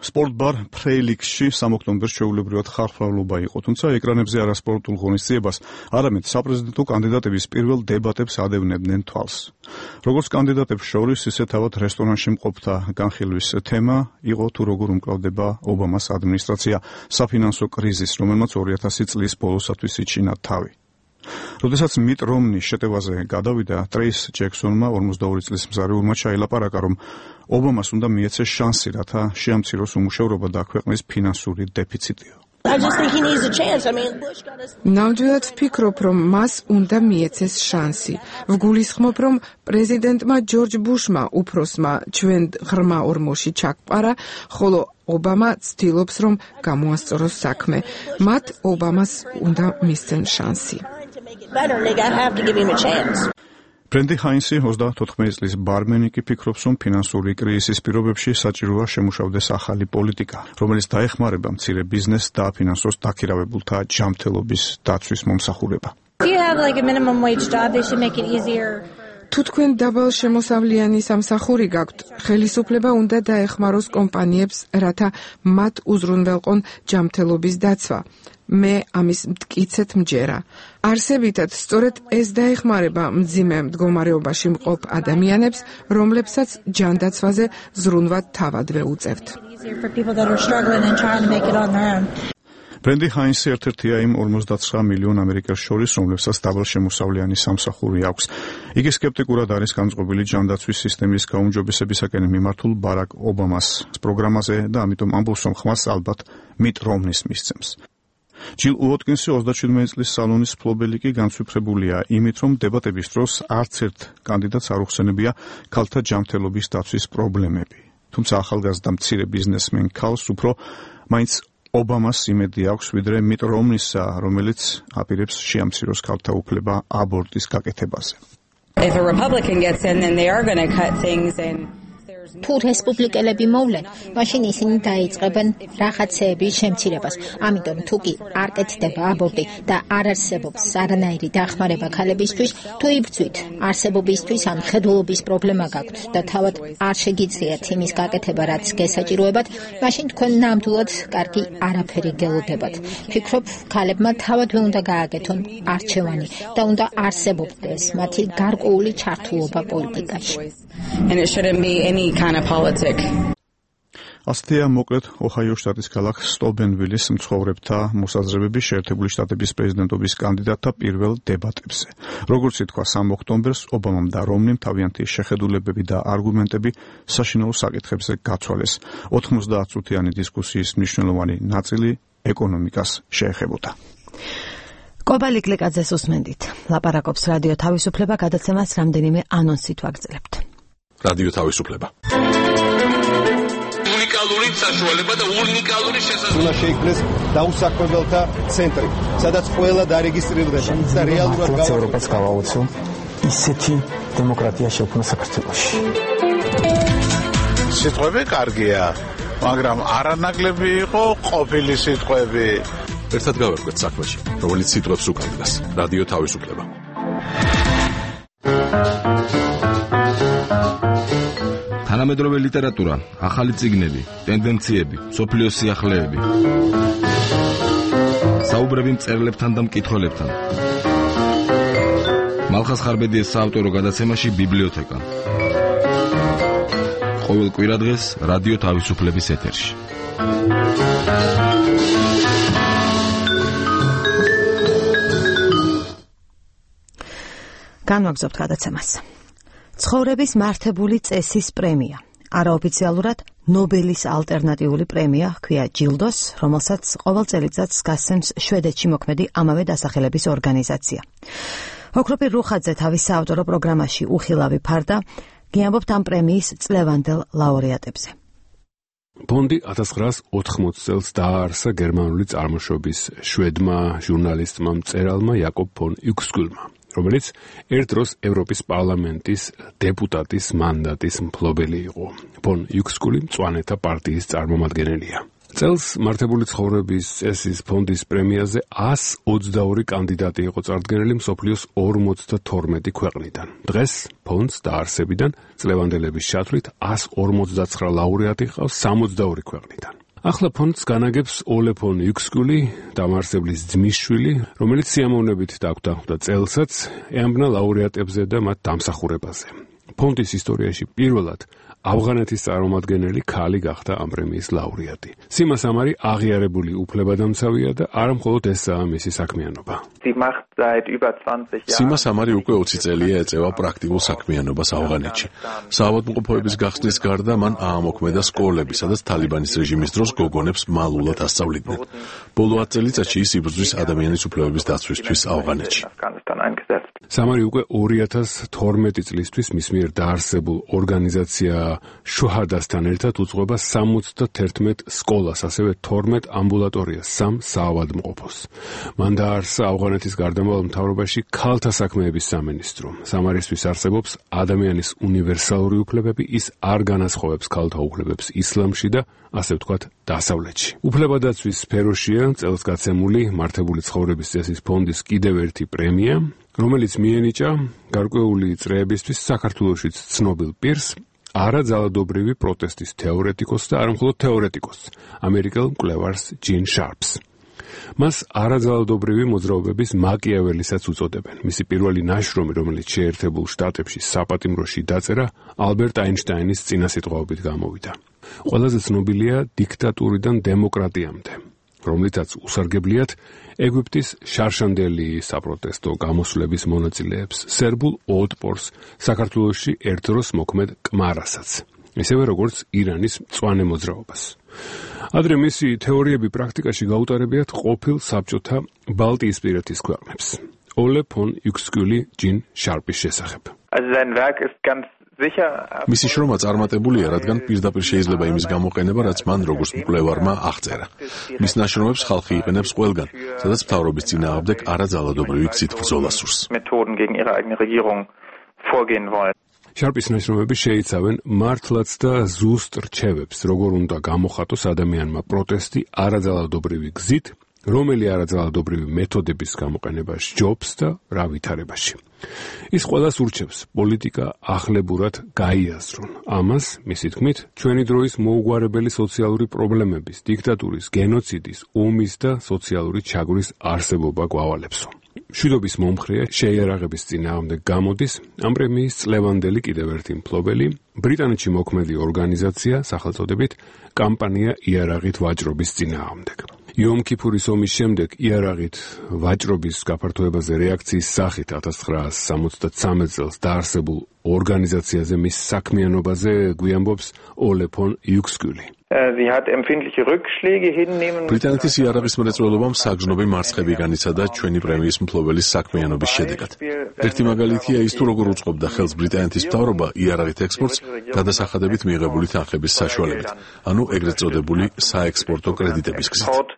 სპორტბარ ფრეილიქსში სამოქტომბერს ჩვეულებრივად ხალხმრავლობა იყო, თუმცა ეკრანებზე არასპორტულ ღონისძიებას, არამედ საპრეზიდენტო კანდიდატების პირველ დებატებს ადევნებდნენ თვალს. როგორც კანდიდატებს შორის, ისე თავად რესტორანში მყოფთა განხილვის თემა იყო თუ როგორ უმკლავდება ობამას ადმინისტრაცია საფინანსო კრიზისს, რომელმაც 2000 წლის ბოლოსათვის იჩინა თავი. როდესაც მიტ რომნი შეტევაზე გადავიდა, ტრეის ჯექსონმა 42 წლის მზარეულმა ჩაილაპარაკა, რომ ობამას უნდა მიეცეს შანსი, რათა შეამციროს უმუშევრობა და ქვეყნის ფინანსური დეფიციტიო. ნამდვილად ვფიქრობ, რომ მას უნდა მიეცეს შანსი. ვგულისხმობ, რომ პრეზიდენტმა ჯორჯ ბუშმა უფროსმა ჩვენ ღრმა ორმოში ჩაგვყარა, ხოლო ობამა ცდილობს, რომ გამოასწოროს საქმე. მათ ობამას უნდა მისცენ შანსი. ბრენდი ჰაინსი 34 წლის ბარმენი კი ფიქრობს, რომ ფინანსური კრიზისის პირობებში საჭიროა შემუშავდეს ახალი პოლიტიკა, რომელიც დაეხმარება მცირე ბიზნესს და აფინანსოს დაქირავებულთა ჯანმრთელობის დაცვის მომსახურება. თუ თქვენ დაბალ შემოსავლიანი სამსახური გაქვთ, ხელისუფლება უნდა დაეხმაროს კომპანიებს, რათა მათ უზრუნველყონ ჯანმრთელობის დაცვა. მე ამის მტკიცედ მჯერა. არსებითად, სწორედ ეს დაეხმარება მძიმე მდგომარეობაში მყოფ ადამიანებს, რომლებსაც ჯანდაცვაზე ზრუნვად თავადვე უწევთ. ბრენდი ჰაინსი ერთ-ერთია იმ 59 მილიონ ამერიკელს შორის, რომლებსაც დაბალ შემოსავლიანი სამსახური აქვს. იგი სკეპტიკურად არის განწყობილი ჯანდაცვის სისტემის გაუმჯობესებისაკენ მიმართულ ბარაკ ობამას პროგრამაზე და ამიტომ ამბობს, რომ ხმას ალბათ მიტ რომნის მისცემს. ჯილ უოტკინსი 37 წლის სალონის მფლობელი კი განცვიფრებულია იმით, რომ დებატების დროს არც ერთ კანდიდატს არ უხსენებია ქალთა ჯანმრთელობის დაცვის პრობლემები. თუმცა ახალგაზრდა მცირე ბიზნესმენ ქალს უფრო მაინც ობამას იმედი აქვს, ვიდრე მიტ რომნისა, რომელიც აპირებს შეამციროს ქალთა უფლება აბორტის გაკეთებაზე. If a Republican gets in, then they are going to cut things and თუ რესპუბლიკელები მოვლენ, მაშინ ისინი დაიწყებენ რაღაცეების შემცირებას. ამიტომ თუ კი არ კეთდება აბორტი და არ არსებობს არანაირი დახმარება ქალებისთვის, თუ იბრძვით არსებობისთვის ან ხედულობის პრობლემა გაქვთ და თავად არ შეგიძლიათ იმის გაკეთება, რაც გესაჭიროებათ, მაშინ თქვენ ნამდვილად კარგი არაფერი გელოდებათ. ფიქრობ, ქალებმა თავადვე უნდა გააკეთონ არჩევანი და უნდა არსებობდეს მათი გარკვეული ჩართულობა პოლიტიკაში. And it shouldn't be any kind of politic. ასეთია მოკლედ ოჰაიო შტატის ქალაქ სტობენვილის მცხოვრებთა მოსაზრებები შეერთებული შტატების პრეზიდენტობის კანდიდატთა პირველ დებატებზე. როგორც ითქვა 3 ოქტომბერს ობამამ და რომნიმ თავიანთი შეხედულებები და არგუმენტები საშინაო საკითხებზე გაცვალეს. 90 წუთიანი დისკუსიის მნიშვნელოვანი ნაწილი ეკონომიკას შეეხებოდა. კობალი გლიკაძეს უსმენდით. ლაპარაკობს რადიო თავისუფლება, გადაცემას რამდენიმე ანონსით ვაგრძელებთ. რადიო თავისუფლება. უნიკალური საშუალება და უნიკალური შესაძლებლობა. უნდა შეიქმნეს დაუსაქმებელთა ცენტრი, სადაც ყველა დარეგისტრირდება და რეალურად ევროპას გავაოცო ისეთი დემოკრატია შექმნა საქართველოში. სიტყვები კარგია, მაგრამ არანაკლები იყო ყოფილი სიტყვები. ერთად გავერკვეთ საქმეში, რომელიც სიტყვებს უკავშირდება. რადიო თავისუფლება. თანამედროვე ლიტერატურა, ახალი წიგნები, ტენდენციები, სოფლიოს სიახლეები. საუბრები მწერლებთან და მკითხველებთან. მალხას ხარბედიეს საავტორო გადაცემაში ბიბლიოთეკა. ყოველ კვირადღეს რადიო თავისუფლების ეთერში. განვაგრძობთ გადაცემას. ცხოვრების მართებული წესის პრემია. არაოფიციალურად ნობელის ალტერნატიული პრემია ჰქვია ჯილდოს, რომელსაც ყოველ წელიწადს გასცემს შვედეთში მოქმედი ამავე დასახელების ორგანიზაცია. ოქროპირ რუხაძე თავის საავტორო პროგრამაში უხილავი ფარდა გიამბობთ ამ პრემიის წლევანდელ ლაურეატებზე. ფონდი 1980 წელს დააარსა გერმანული წარმოშობის შვედმა ჟურნალისტმა მწერალმა იაკობ ფონ იუქსკულმა, რომელიც ერთ დროს ევროპის პარლამენტის დეპუტატის მანდატის მფლობელი იყო. ფონ იუქსკული მწვანეთა პარტიის წარმომადგენელია. წელს მართებული ცხოვრების წესის ფონდის პრემიაზე 122 კანდიდატი იყო წარდგენილი მსოფლიოს 52 ქვეყნიდან. დღეს ფონდს დაარსებიდან წლევანდელების ჩათვლით 159 ლაურეატი ჰყავს 62 ქვეყნიდან. ახლა ფონდს განაგებს ოლე ფონ იუქსკული, დამაარსებლის ძმისშვილი, რომელიც სიამოვნებით დაგვდანხმდა წელსაც ეამბნა ლაურეატებზე და მათ დამსახურებაზე. ფონდის ისტორიაში პირველად ავღანეთის წარმომადგენელი ქალი გახდა ამ პრემიის ლაურეატი. სიმა სამარი აღიარებული უფლებადამცავია და არა მხოლოდ ესაა მისი საქმიანობა. სიმა სამარი უკვე 20 წელია ეწევა პრაქტიკულ საქმიანობას ავღანეთში. საავადმყოფოების გახსნის გარდა მან აამოქმედა სკოლები, სადაც თალიბანის რეჟიმის დროს გოგონებს მალულად ასწავლიდნენ. ბოლო 10 წელიწადში ის იბრძვის ადამიანის უფლებების დაცვისთვის ავღანეთში. სამარი უკვე 2012 წლისთვის მის მიერ დაარსებულ ორგანიზაცია შუჰადასთან ერთად უძღვება 71 სკოლას, ასევე 12 ამბულატორიას, 3 საავადმყოფოს. მან დააარსა ავღანეთის გარდამავალ მთავრობაში ქალთა საქმეების სამინისტრო. სამარისთვის არსებობს ადამიანის უნივერსალური უფლებები, ის არ განასხვავებს ქალთა უფლებებს ისლამში და ასე ვთქვათ დასავლეთში. უფლებადაცვის სფეროშია წელს გაცემული მართებული ცხოვრების წესის ფონდის კიდევ ერთი პრემია, რომელიც მიენიჭა გარკვეული წრეებისთვის საქართველოშიც ცნობილ პირს, არაძალადობრივი პროტესტის თეორეტიკოსს და არამხოლოდ თეორეტიკოსს, ამერიკელ მკვლევარს ჯინ შარპს. მას არაძალადობრივი მოძრაობების მაკიაველისაც უწოდებენ. მისი პირველი ნაშრომი, რომელიც შეერთებულ შტატებში საპატიმროში დაწერა, ალბერტ აინშტაინის წინასიტყვაობით გამოვიდა. ყველაზე ცნობილია დიქტატურიდან დემოკრატიამდე, რომლითაც usargebliat ეგვიპტის შარშანდელი საპროტესტო გამოსვლების მონაწილეებს, სერბულ ოტპორს, საქართველოში ერთდროს მოქმედ კმარასაც, ისევე როგორც ირანის მწვანე მოძრაობას. ადრე მისი თეორიები პრაქტიკაში გაუტარებიათ ყოფილ საბჭოთა ბალტიისპირეთის ქვეყნებს. ოლე ფონ იუქსკული ჯინ შარპის შესახებ. მისი შრომა წარმატებულია, რადგან პირდაპირ შეიძლება იმის გამოყენება, რაც მან როგორც მკვლევარმა აღწერა. მის ნაშრომებს ხალხი იყენებს ყველგან, სადაც მთავრობის წინააღმდეგ არაძალადობრივი გზით ბრძოლა სურს. შარპის ნაშრომები შეიცავენ მართლაც და ზუსტ რჩევებს, როგორ უნდა გამოხატოს ადამიანმა პროტესტი არაძალადობრივი გზით, რომელი არაძალადობრივი მეთოდების გამოყენება სჯობს და რა ვითარებაში. ის ყველას ურჩევს პოლიტიკა ახლებურად გაიაზრონ. ამას, მისი თქმით, ჩვენი დროის მოუგვარებელი სოციალური პრობლემების, დიქტატურის, გენოციდის, ომის და სოციალური ჩაგვრის არსებობა გვავალებსო. მშვიდობის მომხრეა შეიარაღების წინააღმდეგ გამოდის ამ პრემიის წლევანდელი კიდევ ერთი მფლობელი, ბრიტანეთში მოქმედი ორგანიზაცია სახელწოდებით კამპანია იარაღით ვაჭრობის წინააღმდეგ. იომ-ქიფურის ომის შემდეგ იარაღით ვაჭრობის გაფართოებაზე რეაქციის სახით 1963 წელს დაარსებულ ორგანიზაციაზე მის საქმიანობაზე გვიამბობს ოლე ფონ იუქსკული. ბრიტანეთის იარაღის მრეწველობამ საგრძნობი მარცხები განიცადა ჩვენი პრემიის მფლობელის საქმიანობის შედეგად. ერთი მაგალითია ის, თუ როგორ უწყობდა ხელს ბრიტანეთის მთავრობა იარაღით ექსპორტს გადასახადებით მიღებული თანხების საშუალებით, ანუ ეგრეთ წოდებული საექსპორტო კრედიტების გზით.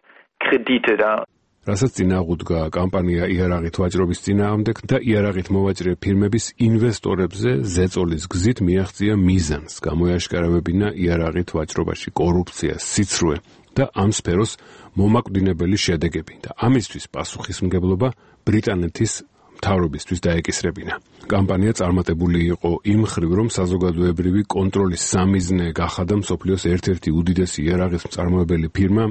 რასაც წინააღმდგა კამპანია იარაღით ვაჭრობის წინააღმდეგ და იარაღით მოვაჭრე ფირმების ინვესტორებზე ზეწოლის გზით მიაღწია მიზანს, გამოიაშკარავებინა იარაღით ვაჭრობაში კორუფცია, სიცრუე და ამ სფეროს მომაკვდინებელი შედეგები და ამისთვის პასუხისმგებლობა ბრიტანეთის მთავრობისთვის დაეკისრებინა. კამპანია წარმატებული იყო იმ მხრივ, რომ საზოგადოებრივი კონტროლის სამიზნე გახადა მსოფლიოს ერთ-ერთი უდიდესი იარაღის მწარმოებელი ფირმა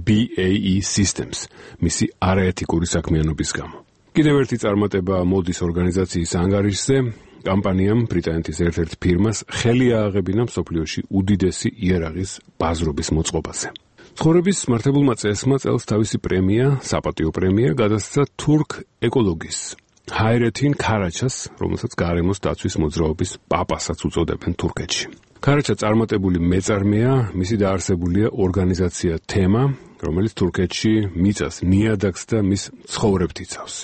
BAE Systems, მისი არაეთიკური საქმიანობის გამო. კიდევ ერთი წარმატება მოდის ორგანიზაციის ანგარიშზე. კამპანიამ ბრიტანეთის ერთ-ერთ ფირმას ხელი ააღებინა მსოფლიოში უდიდესი იარაღის ბაზრობის მოწყობაზე. ცხოვრების მართებულმა წესმა წელს თავისი პრემია, საპატიო პრემია გადასცა თურქ ეკოლოგის ჰაირეთინ ქარაჩას, რომელსაც გარემოს დაცვის მოძრაობის პაპასაც უწოდებენ თურქეთში. ქარაჩა წარმატებული მეწარმეა, მისი დაარსებულია ორგანიზაცია თემა, რომელიც თურქეთში მიწას, ნიადაგს და მის ცხოვრებთ იცავს.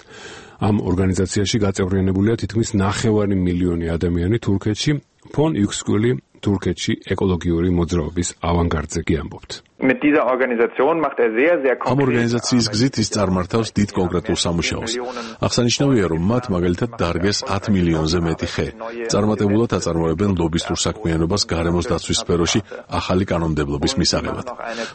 ამ ორგანიზაციაში გაწევრიანებულია თითქმის 9 მილიონი ადამიანი თურქეთში. ფონ იუქსკული თურქეთში ეკოლოგიური მოძრაობის ავანგარდზე კი ამბობთ. ამ ორგანიზაციის გზით ის წარმართავს დიდ კონკრეტულ სამუშაოს. აღსანიშნავია, რომ მათ მაგალითად დარგეს 10 მილიონზე მეტი ხე. წარმატებულად აწარმოებენ ლობისტურ საქმიანობას გარემოს დაცვის სფეროში ახალი კანონმდებლობის მისაღებად.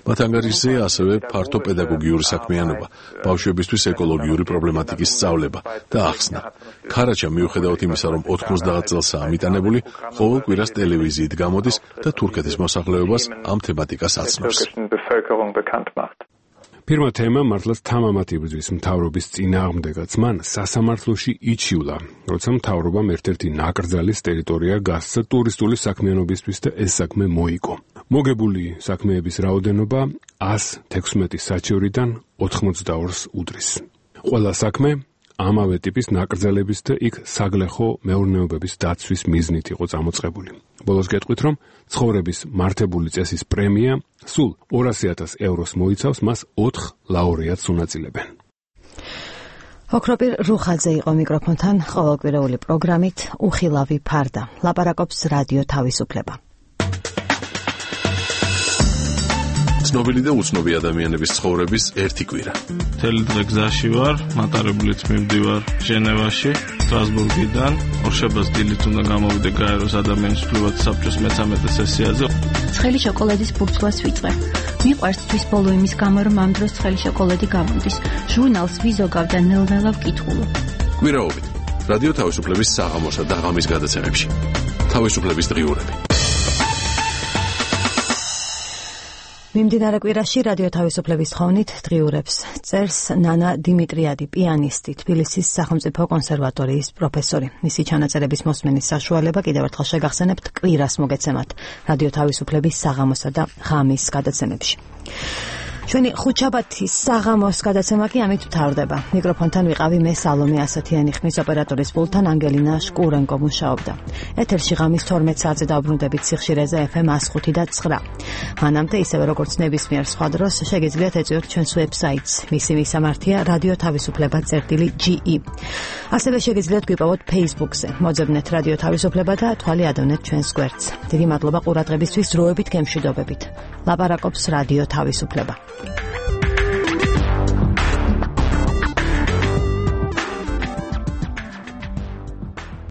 მათ ანგარიშზეა ასევე ფართო პედაგოგიური საქმიანობა, ბავშვებისთვის ეკოლოგიური პრობლემატიკის სწავლება და ახსნა. ქარაჩა მიუხედავად იმისა, რომ 90 წელსაა მიტანებული, ყოველ კვირას ტელევიზიით გამოდის და თურქეთის მოსახლეობას ამ თემატიკას აცნობს. ფირმა თემა მართლაც თამამად იბრძვის მთავრობის წინააღმდეგაც. მან სასამართლოში იჩივლა, როცა მთავრობამ ერთ-ერთი ნაკრძალის ტერიტორია გასცა ტურისტული საქმიანობისთვის და ეს საქმე მოიგო. მოგებული საქმეების რაოდენობა 116 საჩევრიდან 82-ს უდრის. ყველა საქმე ამავე ტიპის ნაკრძალების და იქ საგლეხო მეურნეობების დაცვის მიზნით იყო წამოწყებული. ბოლოს გეტყვით, რომ ცხოვრების მართებული წესის პრემია სულ 200,000 ევროს მოიცავს, მას 4 ლაურეატს უნაწილებენ. ოქროპირ რუხაძე იყო მიკროფონთან ყოველკვირეული პროგრამით უხილავი ფარდა. ლაპარაკობს რადიო თავისუფლება. ცნობილი და უცნობი ადამიანების ცხოვრების ერთი კვირა. მთელი დღე გზაში ვარ, მატარებლით მივდივარ ჟენევაში, სტრასბურგიდან. ორშაბათს დილით უნდა გამოვიდე გაეროს ადამიანის უფლებათა საბჭოს მე-13 სესიაზე. ცხელი შოკოლადის ბურცვლას ვიწყებ. მიყვარს თვის ბოლო იმის გამო, რომ ამ დროს ცხელი შოკოლადი გამოდის. ჟურნალს ვიზოგავ და ნელ-ნელა ვკითხულობ. კვირაობით რადიო თავისუფლების საღამოსა და ღამის გადაცემებში. თავისუფლების დღიურები. მიმდინარე კვირაში რადიო თავისუფლების თხოვნით დღიურებს წერს ნანა დიმიტრიადი, პიანისტი, თბილისის სახელმწიფო კონსერვატორიის პროფესორი. მისი ჩანაწერების მოსმენის საშუალება კიდევ ერთხელ შეგახსენებთ კვირას მოგეცემათ რადიო თავისუფლების საღამოსა და ღამის გადაცემებში. ჩვენი ხუთშაბათის საღამოს გადაცემა კი ამით მთავრდება. მიკროფონთან ვიყავი მე სალომე ასათიანი, ხმის ოპერატორის პულტთან ანგელინა შკურენკო მუშაობდა. ეთერში ღამის 12 საათზე დავბრუნდებით სიხშირეზე FM 105 და 9. მანამდე ისევე როგორც ნებისმიერ სხვა დროს შეგიძლიათ ეწვიოთ ჩვენს ვებსაიტს. მისი მისამართია რადიო თავისუფლება.ge. ასევე შეგიძლიათ გვიპოვოთ Facebook-ზე. მოძებნეთ რადიო თავისუფლება და თვალი ადევნეთ ჩვენს გვერდს. დიდი მადლობა ყურადღებისთვის, დროებით გემშვიდობებით. ლაპარაკობს რადიო თავისუფლება.